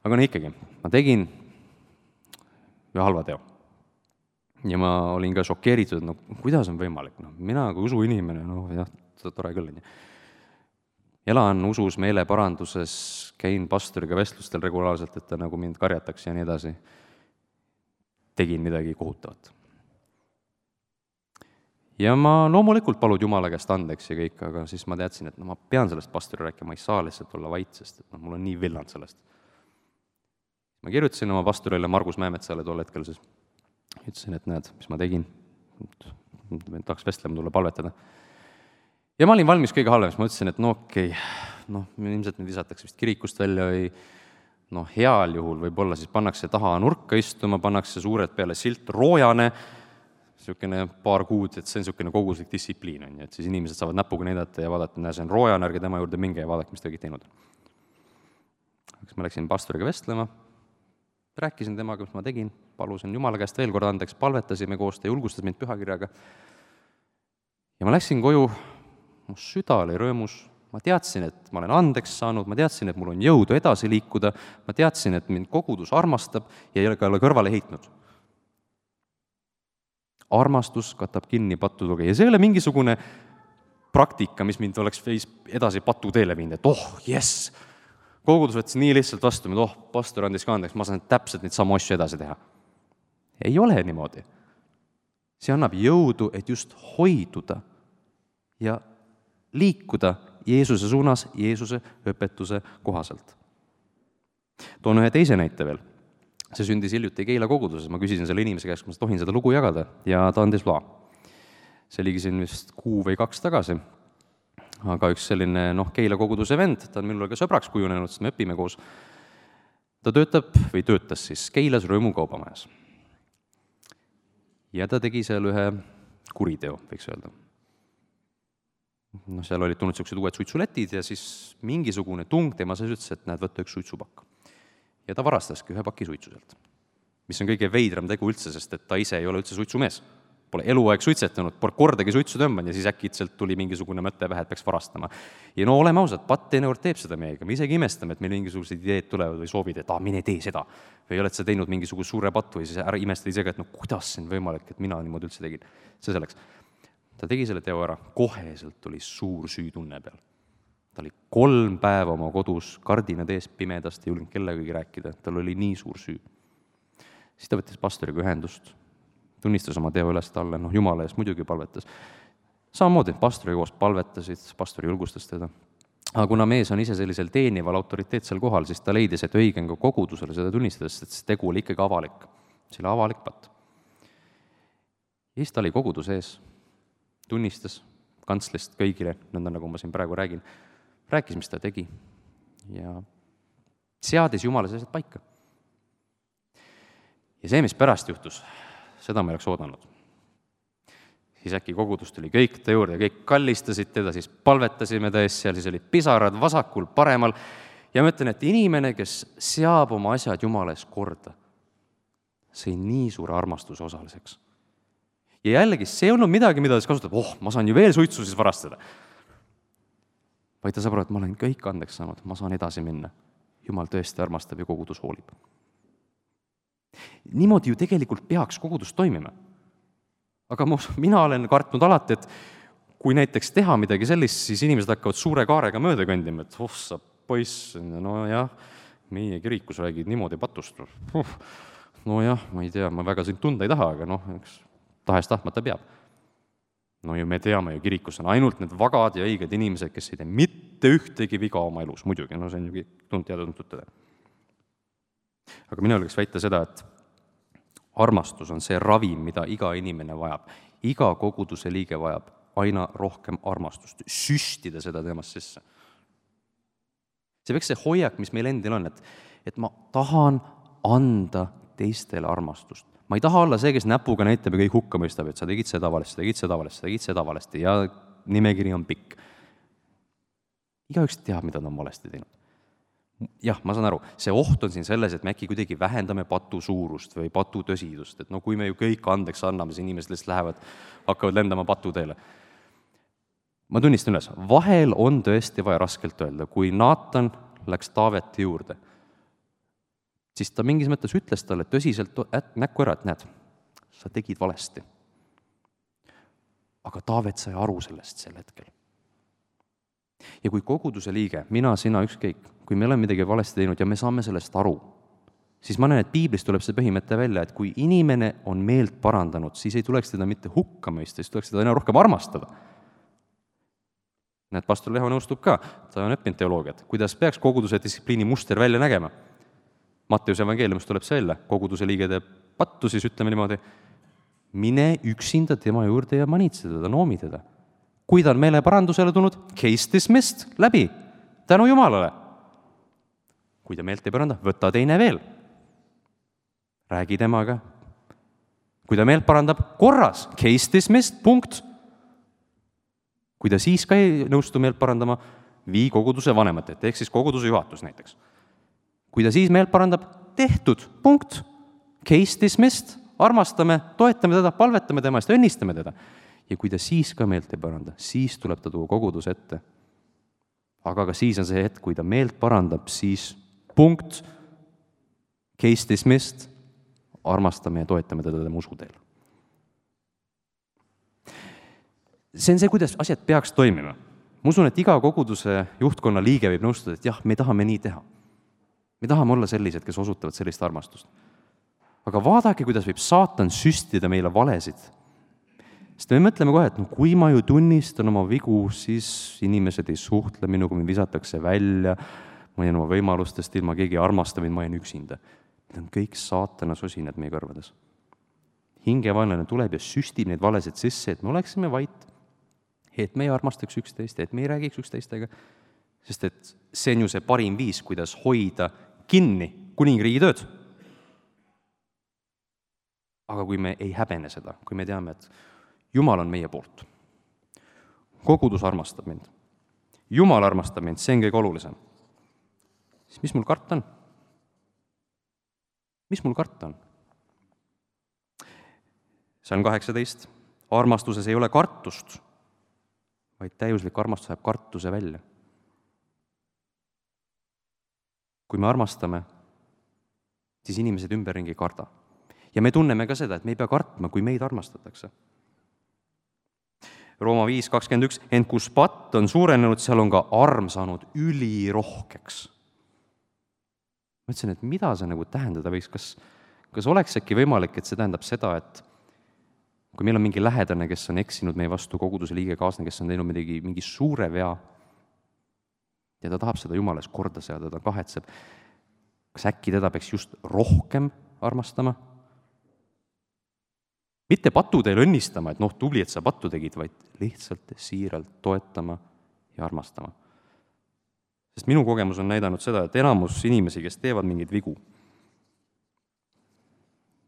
S3: Aga ikkagi, ma tegin ühe halva teo. Ja ma olin ka šokeeritud, kuidas on võimalik, mina kui usuinimene, tore küll. Elan usus, meeleparanduses, käin pastoriga vestlustel regulaarselt, et ta mind karjataks ja nii edasi. Tegin midagi kohutavat. ja ma loomulikult palud Jumala käest andeks ja kõik, aga siis ma teadsin, et ma pean sellest pastori rääkima, ma ei saa lihtsalt olla vait, sest et mul on nii villand sellest. Ma kirjutasin oma pastorile Margus Mäemetsale tol hetkel siis, ütlesin, et näed, mis ma tegin, tahaks vestlema tulla palvetada. Ja ma olin valmis kõige halvemaks, ma ütlesin, et okei, ilmselt nüüd visatakse vist kirikust välja või heal juhul võib-olla siis pannakse taha nurka istuma, pannakse suured peale silt roojane, niisugune paar kuud, et see on niisugune koguslik distsipliin, et siis inimesed saavad näpuga näidata ja vaadata, näe, see on roojane, ärge tema juurde minge ja vaadake, mis ta kõik teinud. Ma läksin pastoriga vestlema, rääkisin temaga, mis ma tegin, palusin Jumala käest veel kord andeks, palvetasime koos, ta julgustas mind pühakirjaga. Ja ma läksin koju, mu süda oli rõõmus, ma teadsin, et ma olen andeks saanud, ma teadsin, et mul on jõudu edasi liikuda, ma teadsin, et mind kogudus armastab ja ei ole kõrvale heitnud. Armastus katab kinni patutuge ja see ei ole mingisugune praktika, mis mind oleks edasi patuteele viinud, et jess, kogudus võttis nii lihtsalt vastu, pastor andis ka andeks, ma saan täpselt neid samu asju edasi teha. Ei ole niimoodi. See annab jõudu, et just hoiduda ja liikuda Jeesuse suunas, Jeesuse õpetuse kohaselt. Toon ühe teise näite veel. See sündis hiljuti Keila koguduses, ma küsisin selle inimese käest, kui ma tohin seda lugu jagada, ja ta andis loa. See oligi siin vist 1 või 2 tagasi. Aga üks selline Keila koguduse vend, ta on minul ka sõbraks kujunenud, sest me õpime koos. Ta töötas siis Keilas Rõõmu kaubamajas. Ja ta tegi seal ühe kuriteo, võiks öelda. Seal olid tulnud sellised uued suitsuletid ja siis mingisugune tung tema sees ütles, et näed, võtta üks suitsupakk. Ja ta varastaski 1 paki suitsu sealt. Mis on kõige veidram tegu üldse, sest et ta ise ei ole üldse suitsumees. Pole eluaeg suitsetanud, pole kordagi suitsu tõmban ja siis äkitselt tuli mingisugune mõte vähe, et peaks varastama. Ja oleme ausad, patt teinekord teeb seda meiega, me isegi imestame, et meil mingisugused ideed tulevad või soovid, et mine tee seda. Või oled sa teinud mingisuguse suure pattu või siis ära imestad isegi, et kuidas see on võimalik, et mina niimoodi üldse tegin. See selleks. Ta tegi selle teo ära, koheselt tuli suur süütunne peal. Ta oli 3 päeva oma kodus, kardinad ees pimedast, ei julgenud kellegagi rääkida, tal oli nii suur süü. Siis ta võttis pastoriga ühendust, tunnistas oma teo üles talle, Jumala eest muidugi palvetas. Samamoodi, pastoriga koos palvetasid, pastori julgustas teda. Aga kuna mees on ise sellisel teenival autoriteetsel kohal, siis ta leidis, et õige on ka kogudusele seda tunnistades, et see tegu oli ikkagi avalik. See oli avalik patt. Ja siis ta oli koguduse ees, tunnistas kantslist kõigile, nõnda nagu ma siin praegu räägin, rääkis, mis ta tegi ja seadis Jumala sellised paika. Ja see, mis pärast juhtus, seda ma ei oleks oodanud. Siis äkki kogudus tuli kõik ta juurde, kõik kallistasid teda, siis palvetasime ta ees seal, siis olid pisarad vasakul, paremal ja ma ütlen, et inimene, kes seab oma asjad Jumala ees korda, see nii suure armastuse osaliseks. Ja jällegi, see ei olnud midagi, mida ta kasutab, ma saan ju veel suitsu siis varastada. Vaid ta saab aru, et ma olen kõik andeks saanud, ma saan edasi minna. Jumal tõesti armastab ja kogudus hoolib. Niimoodi ju tegelikult peaks kogudus toimima. Aga mina olen kartnud alati, et kui näiteks teha midagi sellist, siis inimesed hakkavad suure kaarega mööda kõndima, et sa poiss, meie kirikus räägid niimoodi patust. Ma ei tea, ma väga sind tunda ei taha, aga tahes tahtmata peab. Ju me teame ju, kirikus on ainult need vagad ja õiged inimesed, kes ei tee mitte ühtegi viga oma elus, muidugi, see on ju tuntud tõde. Aga mina võiks väita seda, et armastus on see ravim, mida iga inimene vajab. Iga koguduse liige vajab aina rohkem armastust, süstida seda temast sisse. See peaks see hoiak, mis meil endil on, et ma tahan anda teistele armastust. Ma ei taha olla see, kes näpuga näitab ja kõik hukka mõistab, et sa tegid seda valesti ja nimekiri on pikk. Igaüks teab, mida ta on valesti teinud. Jah, ma saan aru, see oht on siin selles, et me äkki kuidagi vähendame patu suurust või patu tõsidust, et kui me ju kõik andeks anname, siis inimesed lihtsalt hakkavad lendama patuteele. Ma tunnistan üles, vahel on tõesti vaja raskelt öelda, kui Naatan läks Taaveti juurde, siis ta mingis mõttes ütles talle tõsiselt näkku ära, et näed, sa tegid valesti. Aga Taavet sai aru sellest sel hetkel. Ja kui koguduse liige, mina, sina, ükskõik, kui me oleme midagi valesti teinud ja me saame sellest aru, siis ma näen, et piiblist tuleb see põhimõte välja, et kui inimene on meelt parandanud, siis ei tuleks teda mitte hukka mõista, siis tuleks teda aina rohkem armastada. Näed, pastor Leho nõustub ka, ta on õppinud teoloogiat, kuidas peaks koguduse distsipliini muster välja nägema. Matteuse evangeeliumist tuleb see välja, koguduse liige teeb pattu, siis ütleme niimoodi, mine üksinda tema juurde ja manitse teda, noomi teda. Kui ta on meele parandusele tulnud, case dismissed, läbi, tänu Jumalale. Kui ta meelt ei paranda, võta teine veel. Räägi temaga. Kui ta meelt parandab, korras, case dismissed, punkt. Kui ta siis ka ei nõustu meelt parandama, vii koguduse vanemate, ehk siis koguduse juhatus näiteks. Kui ta siis meelt parandab, tehtud, punkt. Case dismissed, armastame, toetame teda, palvetame tema eest, õnnistame teda. Ja kui ta siis ka meelt ei paranda, siis tuleb ta tuua koguduse ette. Aga ka siis on see hetk, kui ta meelt parandab, siis punkt, case dismissed, armastame ja toetame teda tema usuteel. See on see, kuidas asjad peaks toimima. Ma usun, et iga koguduse juhtkonna liige võib nõustuda, et jah, me tahame nii teha. Me tahame olla sellised, kes osutavad sellist armastust. Aga vaadake, kuidas võib saatan süstida meile valesid. Sest me mõtleme kohe, et kui ma ju tunnistan oma vigu, siis inimesed ei suhtle minuga, mind visatakse välja, ma jään oma võimalustest ilma, keegi ei armasta mind, ma jään üksinda. Need on kõik saatana sosinad meie kõrvades. Hingevaenlane tuleb ja süstib neid valesid sisse, et me oleksime vait, et me ei armastaks üksteist, et me ei räägiks üksteistega, sest et see on ju see parim viis, kuidas hoida kinni kuningriigi tööd. Aga kui me ei häbene seda, kui me teame, et Jumal on meie poolt, kogudus armastab mind, Jumal armastab mind, see on kõige olulisem, siis mis mul karta on? Mis mul karta on? Salm 18. Armastuses ei ole kartust, vaid täiuslik armastus jääb kartuse välja. Kui me armastame, siis inimesed ümberringi ei karda. Ja me tunneme ka seda, et me ei pea kartma, kui meid armastatakse. Rooma 5:21, ent kus patt on suurenenud, seal on ka arm saanud ülirohkeks. Ma ütlesin, et mida see nagu tähendada võiks, kas oleks äkki võimalik, et see tähendab seda, et kui meil on mingi lähedane, kes on eksinud meie vastu, koguduse liige kaaslane, kes on teinud mingi suure vea ja ta tahab seda Jumalas korda seada, ta kahetseb, kas äkki teda peaks just rohkem armastama? Mitte patu teile õnnistama, et tubli, et sa pattu tegid, vaid lihtsalt siiralt toetama ja armastama. Sest minu kogemus on näidanud seda, et enamus inimesi, kes teevad mingeid vigu,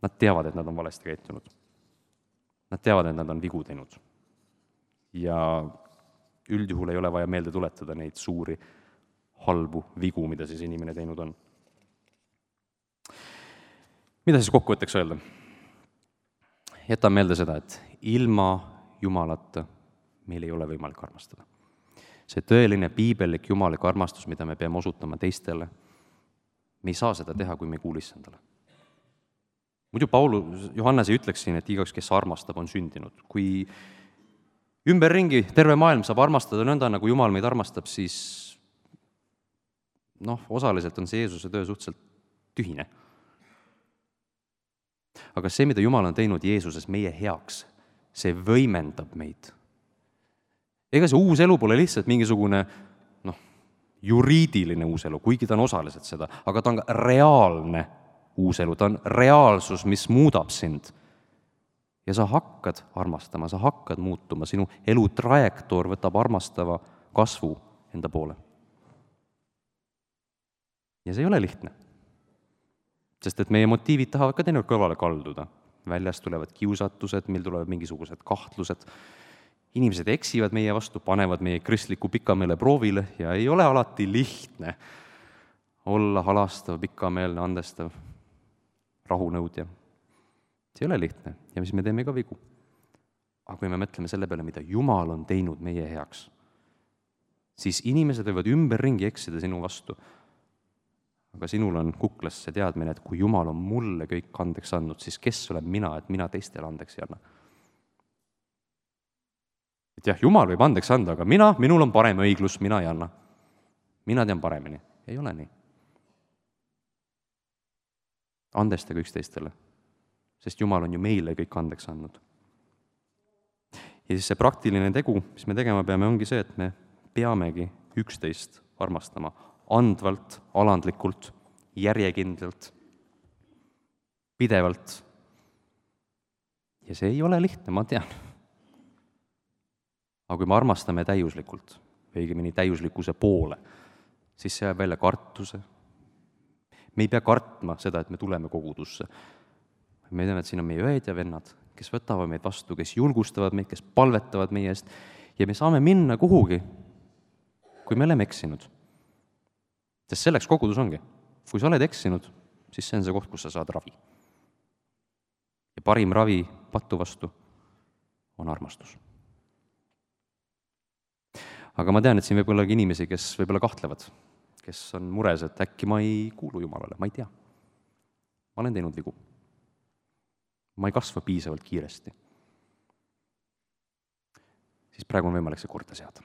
S3: nad teavad, et nad on valesti käitunud. Nad teavad, et nad on vigu teinud. Ja üldjuhul ei ole vaja meelde tuletada neid suuri halbu vigu, mida siis inimene teinud on. Mida siis kokkuvõtteks öelda? Jätan meelde seda, et ilma Jumalata meil ei ole võimalik armastada. See tõeline piibellik jumalik armastus, mida me peame osutama teistele, me ei saa seda teha, kui me ei kuule issandale. Muidu Johannes ei ütleks siin, et igaüks, kes armastab, on sündinud. Kui ümberringi terve maailm saab armastada nõnda, nagu Jumal meid armastab, siis osaliselt on see Jeesuse töö suhteliselt tühine. Aga see, mida Jumal on teinud Jeesuses meie heaks, see võimendab meid. Ega see uus elu pole lihtsalt mingisugune juriidiline uus elu, kuigi ta on osaliselt seda, aga ta on ka reaalne uus elu, ta on reaalsus, mis muudab sind. Ja sa hakkad armastama, sa hakkad muutuma, sinu elu trajektoor võtab armastava kasvu enda poole. Ja see ei ole lihtne. Sest et meie motiivid tahavad ka teinekord kõrvale kalduda. Väljast tulevad kiusatused, meil tulevad mingisugused kahtlused. Inimesed eksivad meie vastu, panevad meie kristliku pikameele proovile ja ei ole alati lihtne olla halastav, pikameelne, andestav, rahunõudja. See ei ole lihtne ja siis me teeme ka vigu. Aga kui me mõtleme selle peale, mida Jumal on teinud meie heaks, siis inimesed võivad ümberringi eksida sinu vastu. Aga sinul on kuklas see teadmine, et kui Jumal on mulle kõik andeks andnud, siis kes olen mina, et mina teistele andeks ei anna. Et jah, Jumal võib andeks anda, aga minul on parem õiglus, mina ei anna. Mina tean paremini. Ei ole nii. andestage üksteistele, sest Jumal on ju meile kõik andeks andnud. Ja siis see praktiline tegu, mis me tegema peame, ongi see, et me peamegi üksteist armastama andvalt, alandlikult, järjekindlalt, pidevalt. Ja see ei ole lihtne, ma tean. Aga kui me armastame täiuslikult, õigemini täiuslikkuse poole, siis see jääb välja kartuse. Me ei pea kartma seda, et me tuleme kogudusse. Me teame, et siin on meie õed ja vennad, kes võtavad meid vastu, kes julgustavad meid, kes palvetavad meie eest ja me saame minna kuhugi, kui me oleme eksinud. Sest selleks kogudus ongi. Kui sa oled eksinud, siis see on see koht, kus sa saad ravi. Ja parim ravi patu vastu on armastus. Aga ma tean, et siin võib olla inimesi, kes võib-olla kahtlevad, kes on mures, et äkki ma ei kuulu Jumalale, ma ei tea. Ma olen teinud vigu. Ma ei kasva piisavalt kiiresti. Siis praegu on võimalik see korda seada.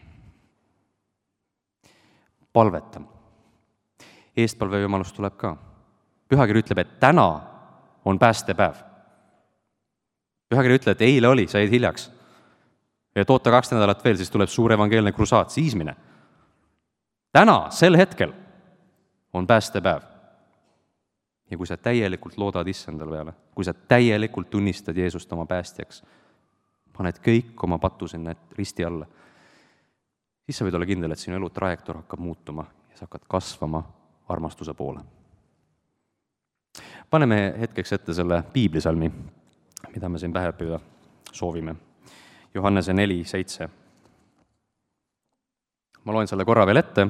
S3: Palveta. Eestpalve jumalus tuleb ka. Pühakiri ütleb, et täna on päästepäev. Pühakiri ütleb, et eile oli, sa jäid hiljaks. Ja toota 2 nädalat veel, siis tuleb suur evangeelne krusaat, siis mine. Täna, sel hetkel on päästepäev. Ja kui sa täielikult loodad issandal peale, kui sa täielikult tunnistad Jeesust oma päästjaks, paned kõik oma patu sinna risti alla, siis sa võid olla kindel, et sinu elu trajektoor hakkab muutuma ja sa hakkad kasvama armastuse poole. Paneme hetkeks ette selle piiblisalmi, mida me siin pähe õppida soovime. Johannese 4:7. Ma loen selle korra veel ette,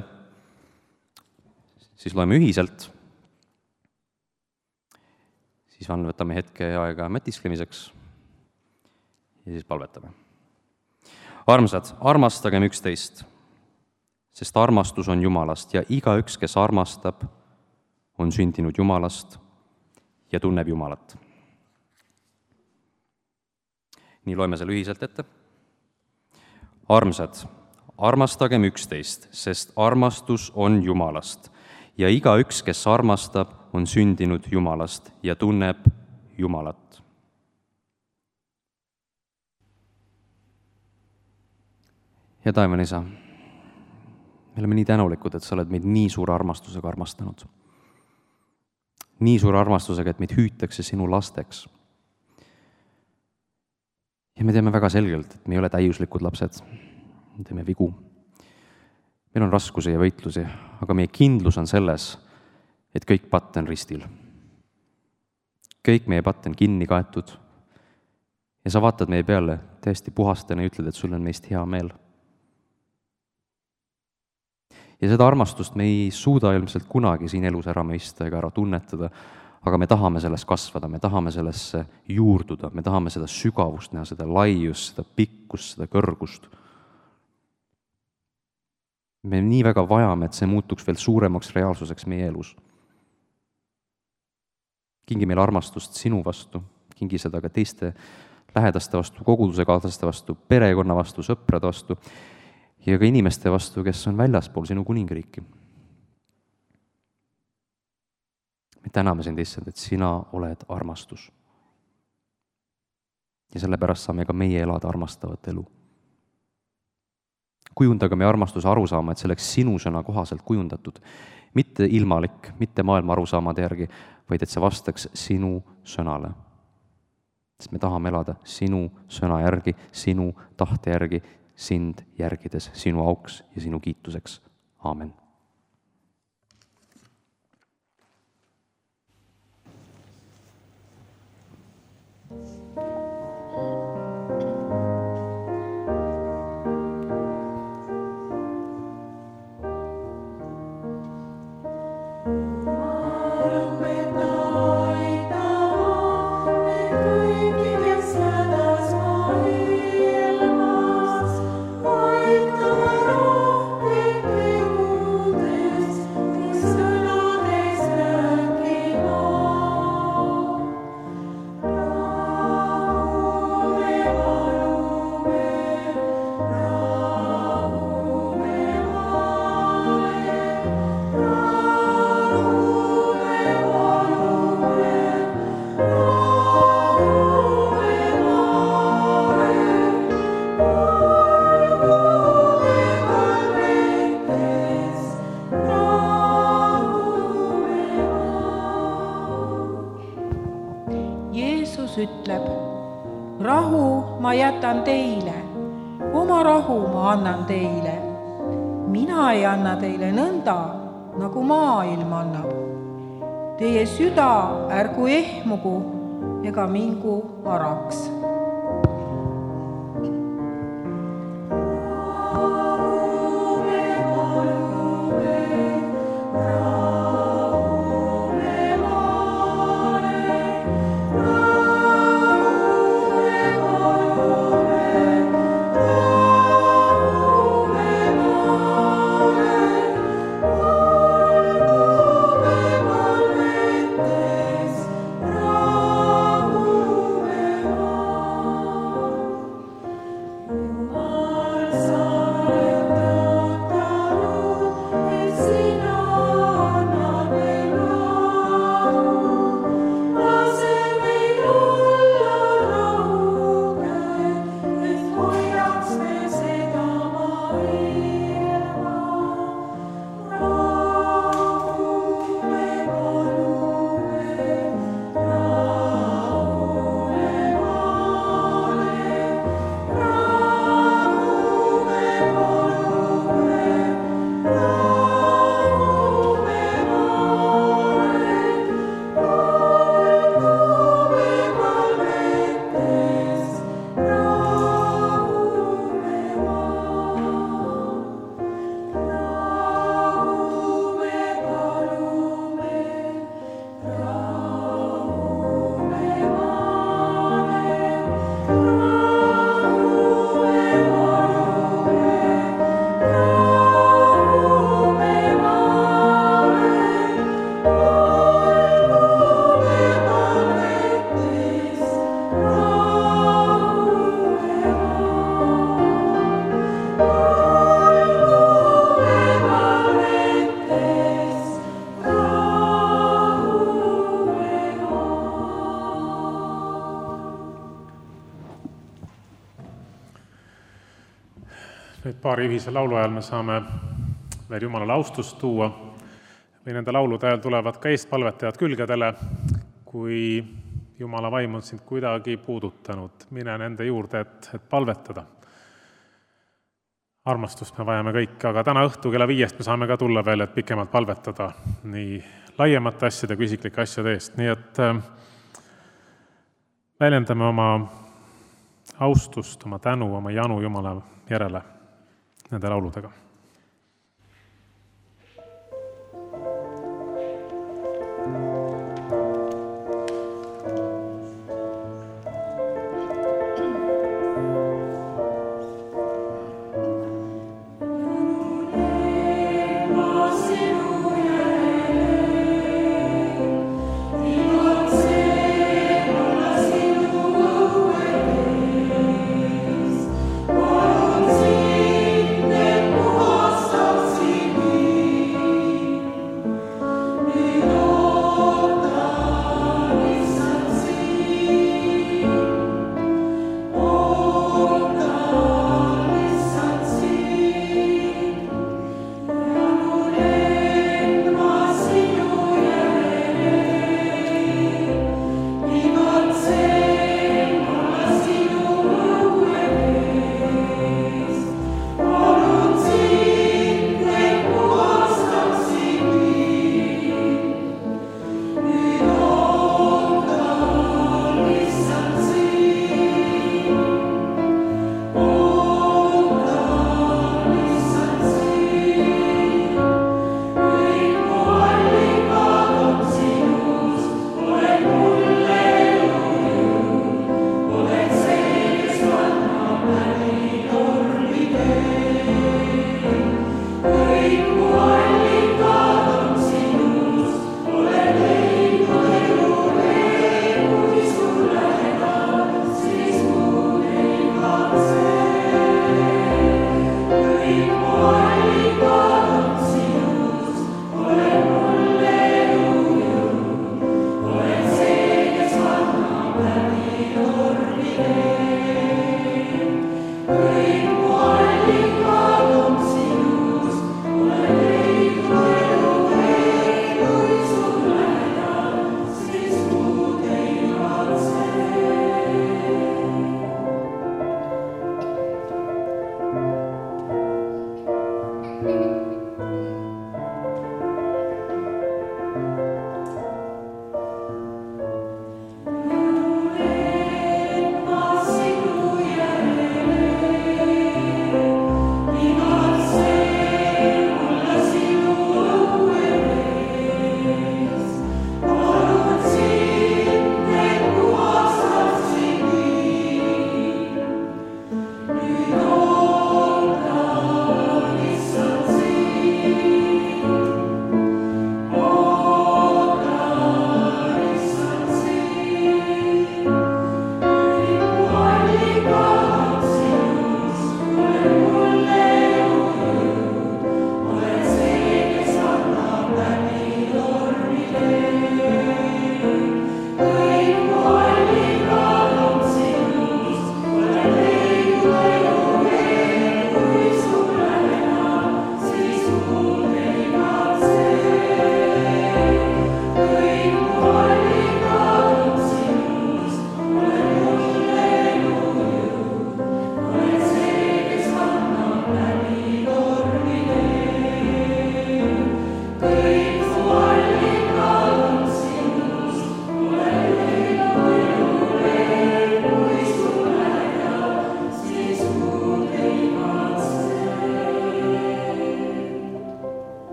S3: siis loeme ühiselt, siis võtame hetke aega mõtisklemiseks ja siis palvetame. Armsad, armastagem üksteist, sest armastus on Jumalast ja igaüks, kes armastab, on sündinud Jumalast ja tunneb Jumalat. Nii loeme selle ühiselt ette. Armsad, armastagem üksteist, sest armastus on Jumalast ja igaüks, kes armastab, on sündinud Jumalast ja tunneb Jumalat. Ja taevane isa, me oleme nii tänulikud, et sa oled meid nii suure armastusega armastanud. Nii suure armastusega, et meid hüütakse sinu lasteks. Ja me teame väga selgelt, et me ei ole täiuslikud lapsed. Me teeme vigu. Meil on raskusi ja võitlusi, aga meie kindlus on selles, et kõik patt on ristil. Kõik meie patt on kinni kaetud. Ja sa vaatad meie peale täiesti puhastena ja ütled, et sul on meist hea meel. Ja seda armastust me ei suuda ilmselt kunagi siin elus ära mõista ega ära tunnetada, aga me tahame selles kasvada, me tahame sellesse juurduda, me tahame seda sügavust näha, seda laiust, seda pikkust, seda kõrgust. Me nii väga vajame, et see muutuks veel suuremaks reaalsuseks meie elus. Kingi meil armastust sinu vastu, kingi seda ka teiste lähedaste vastu, koguduse kaaslaste vastu, perekonna vastu, sõprade vastu ja ka inimeste vastu, kes on väljaspool sinu kuningriiki. Me täname sind, issand, et sina oled armastus. Ja sellepärast saame ka meie elada armastavat elu. Kujundaga meie armastuse arusaama, et selleks sinu sõna kohaselt kujundatud, mitte ilmalik, mitte maailma arusaamade järgi, vaid et see vastaks sinu sõnale. Sest me tahame elada sinu sõna järgi, sinu tahte järgi, sind järgides sinu auks ja sinu kiituseks. Aamen.
S4: Aitama rohkem Kristus ütleb: rahu ma jätan teile, oma rahu ma annan teile. Mina ei anna teile nõnda, nagu maailm annab. Teie süda ärgu ehmugu ega mingu varaks.
S1: Nüüd paari ühise laulu ajal me saame veel Jumalale austust tuua või nende laulude ajal tulevad ka eestpalvetajad külgedele. Kui Jumala vaim on sind kuidagi puudutanud, mine nende juurde, et palvetada. Armastust me vajame kõik, aga täna õhtu kella 5 me saame ka tulla veel, et pikemalt palvetada nii laiemate asjade kui isiklike asjade eest. Nii et väljendame oma austust, oma tänu, oma janu Jumala järele nende lauludega.
S5: Oh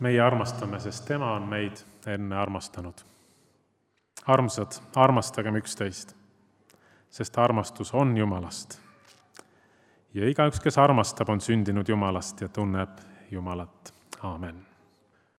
S1: meie armastame, sest tema on meid enne armastanud. Armsad, armastagem üksteist, sest armastus on Jumalast. Ja igaüks, kes armastab, on sündinud Jumalast ja tunneb Jumalat. Aamen.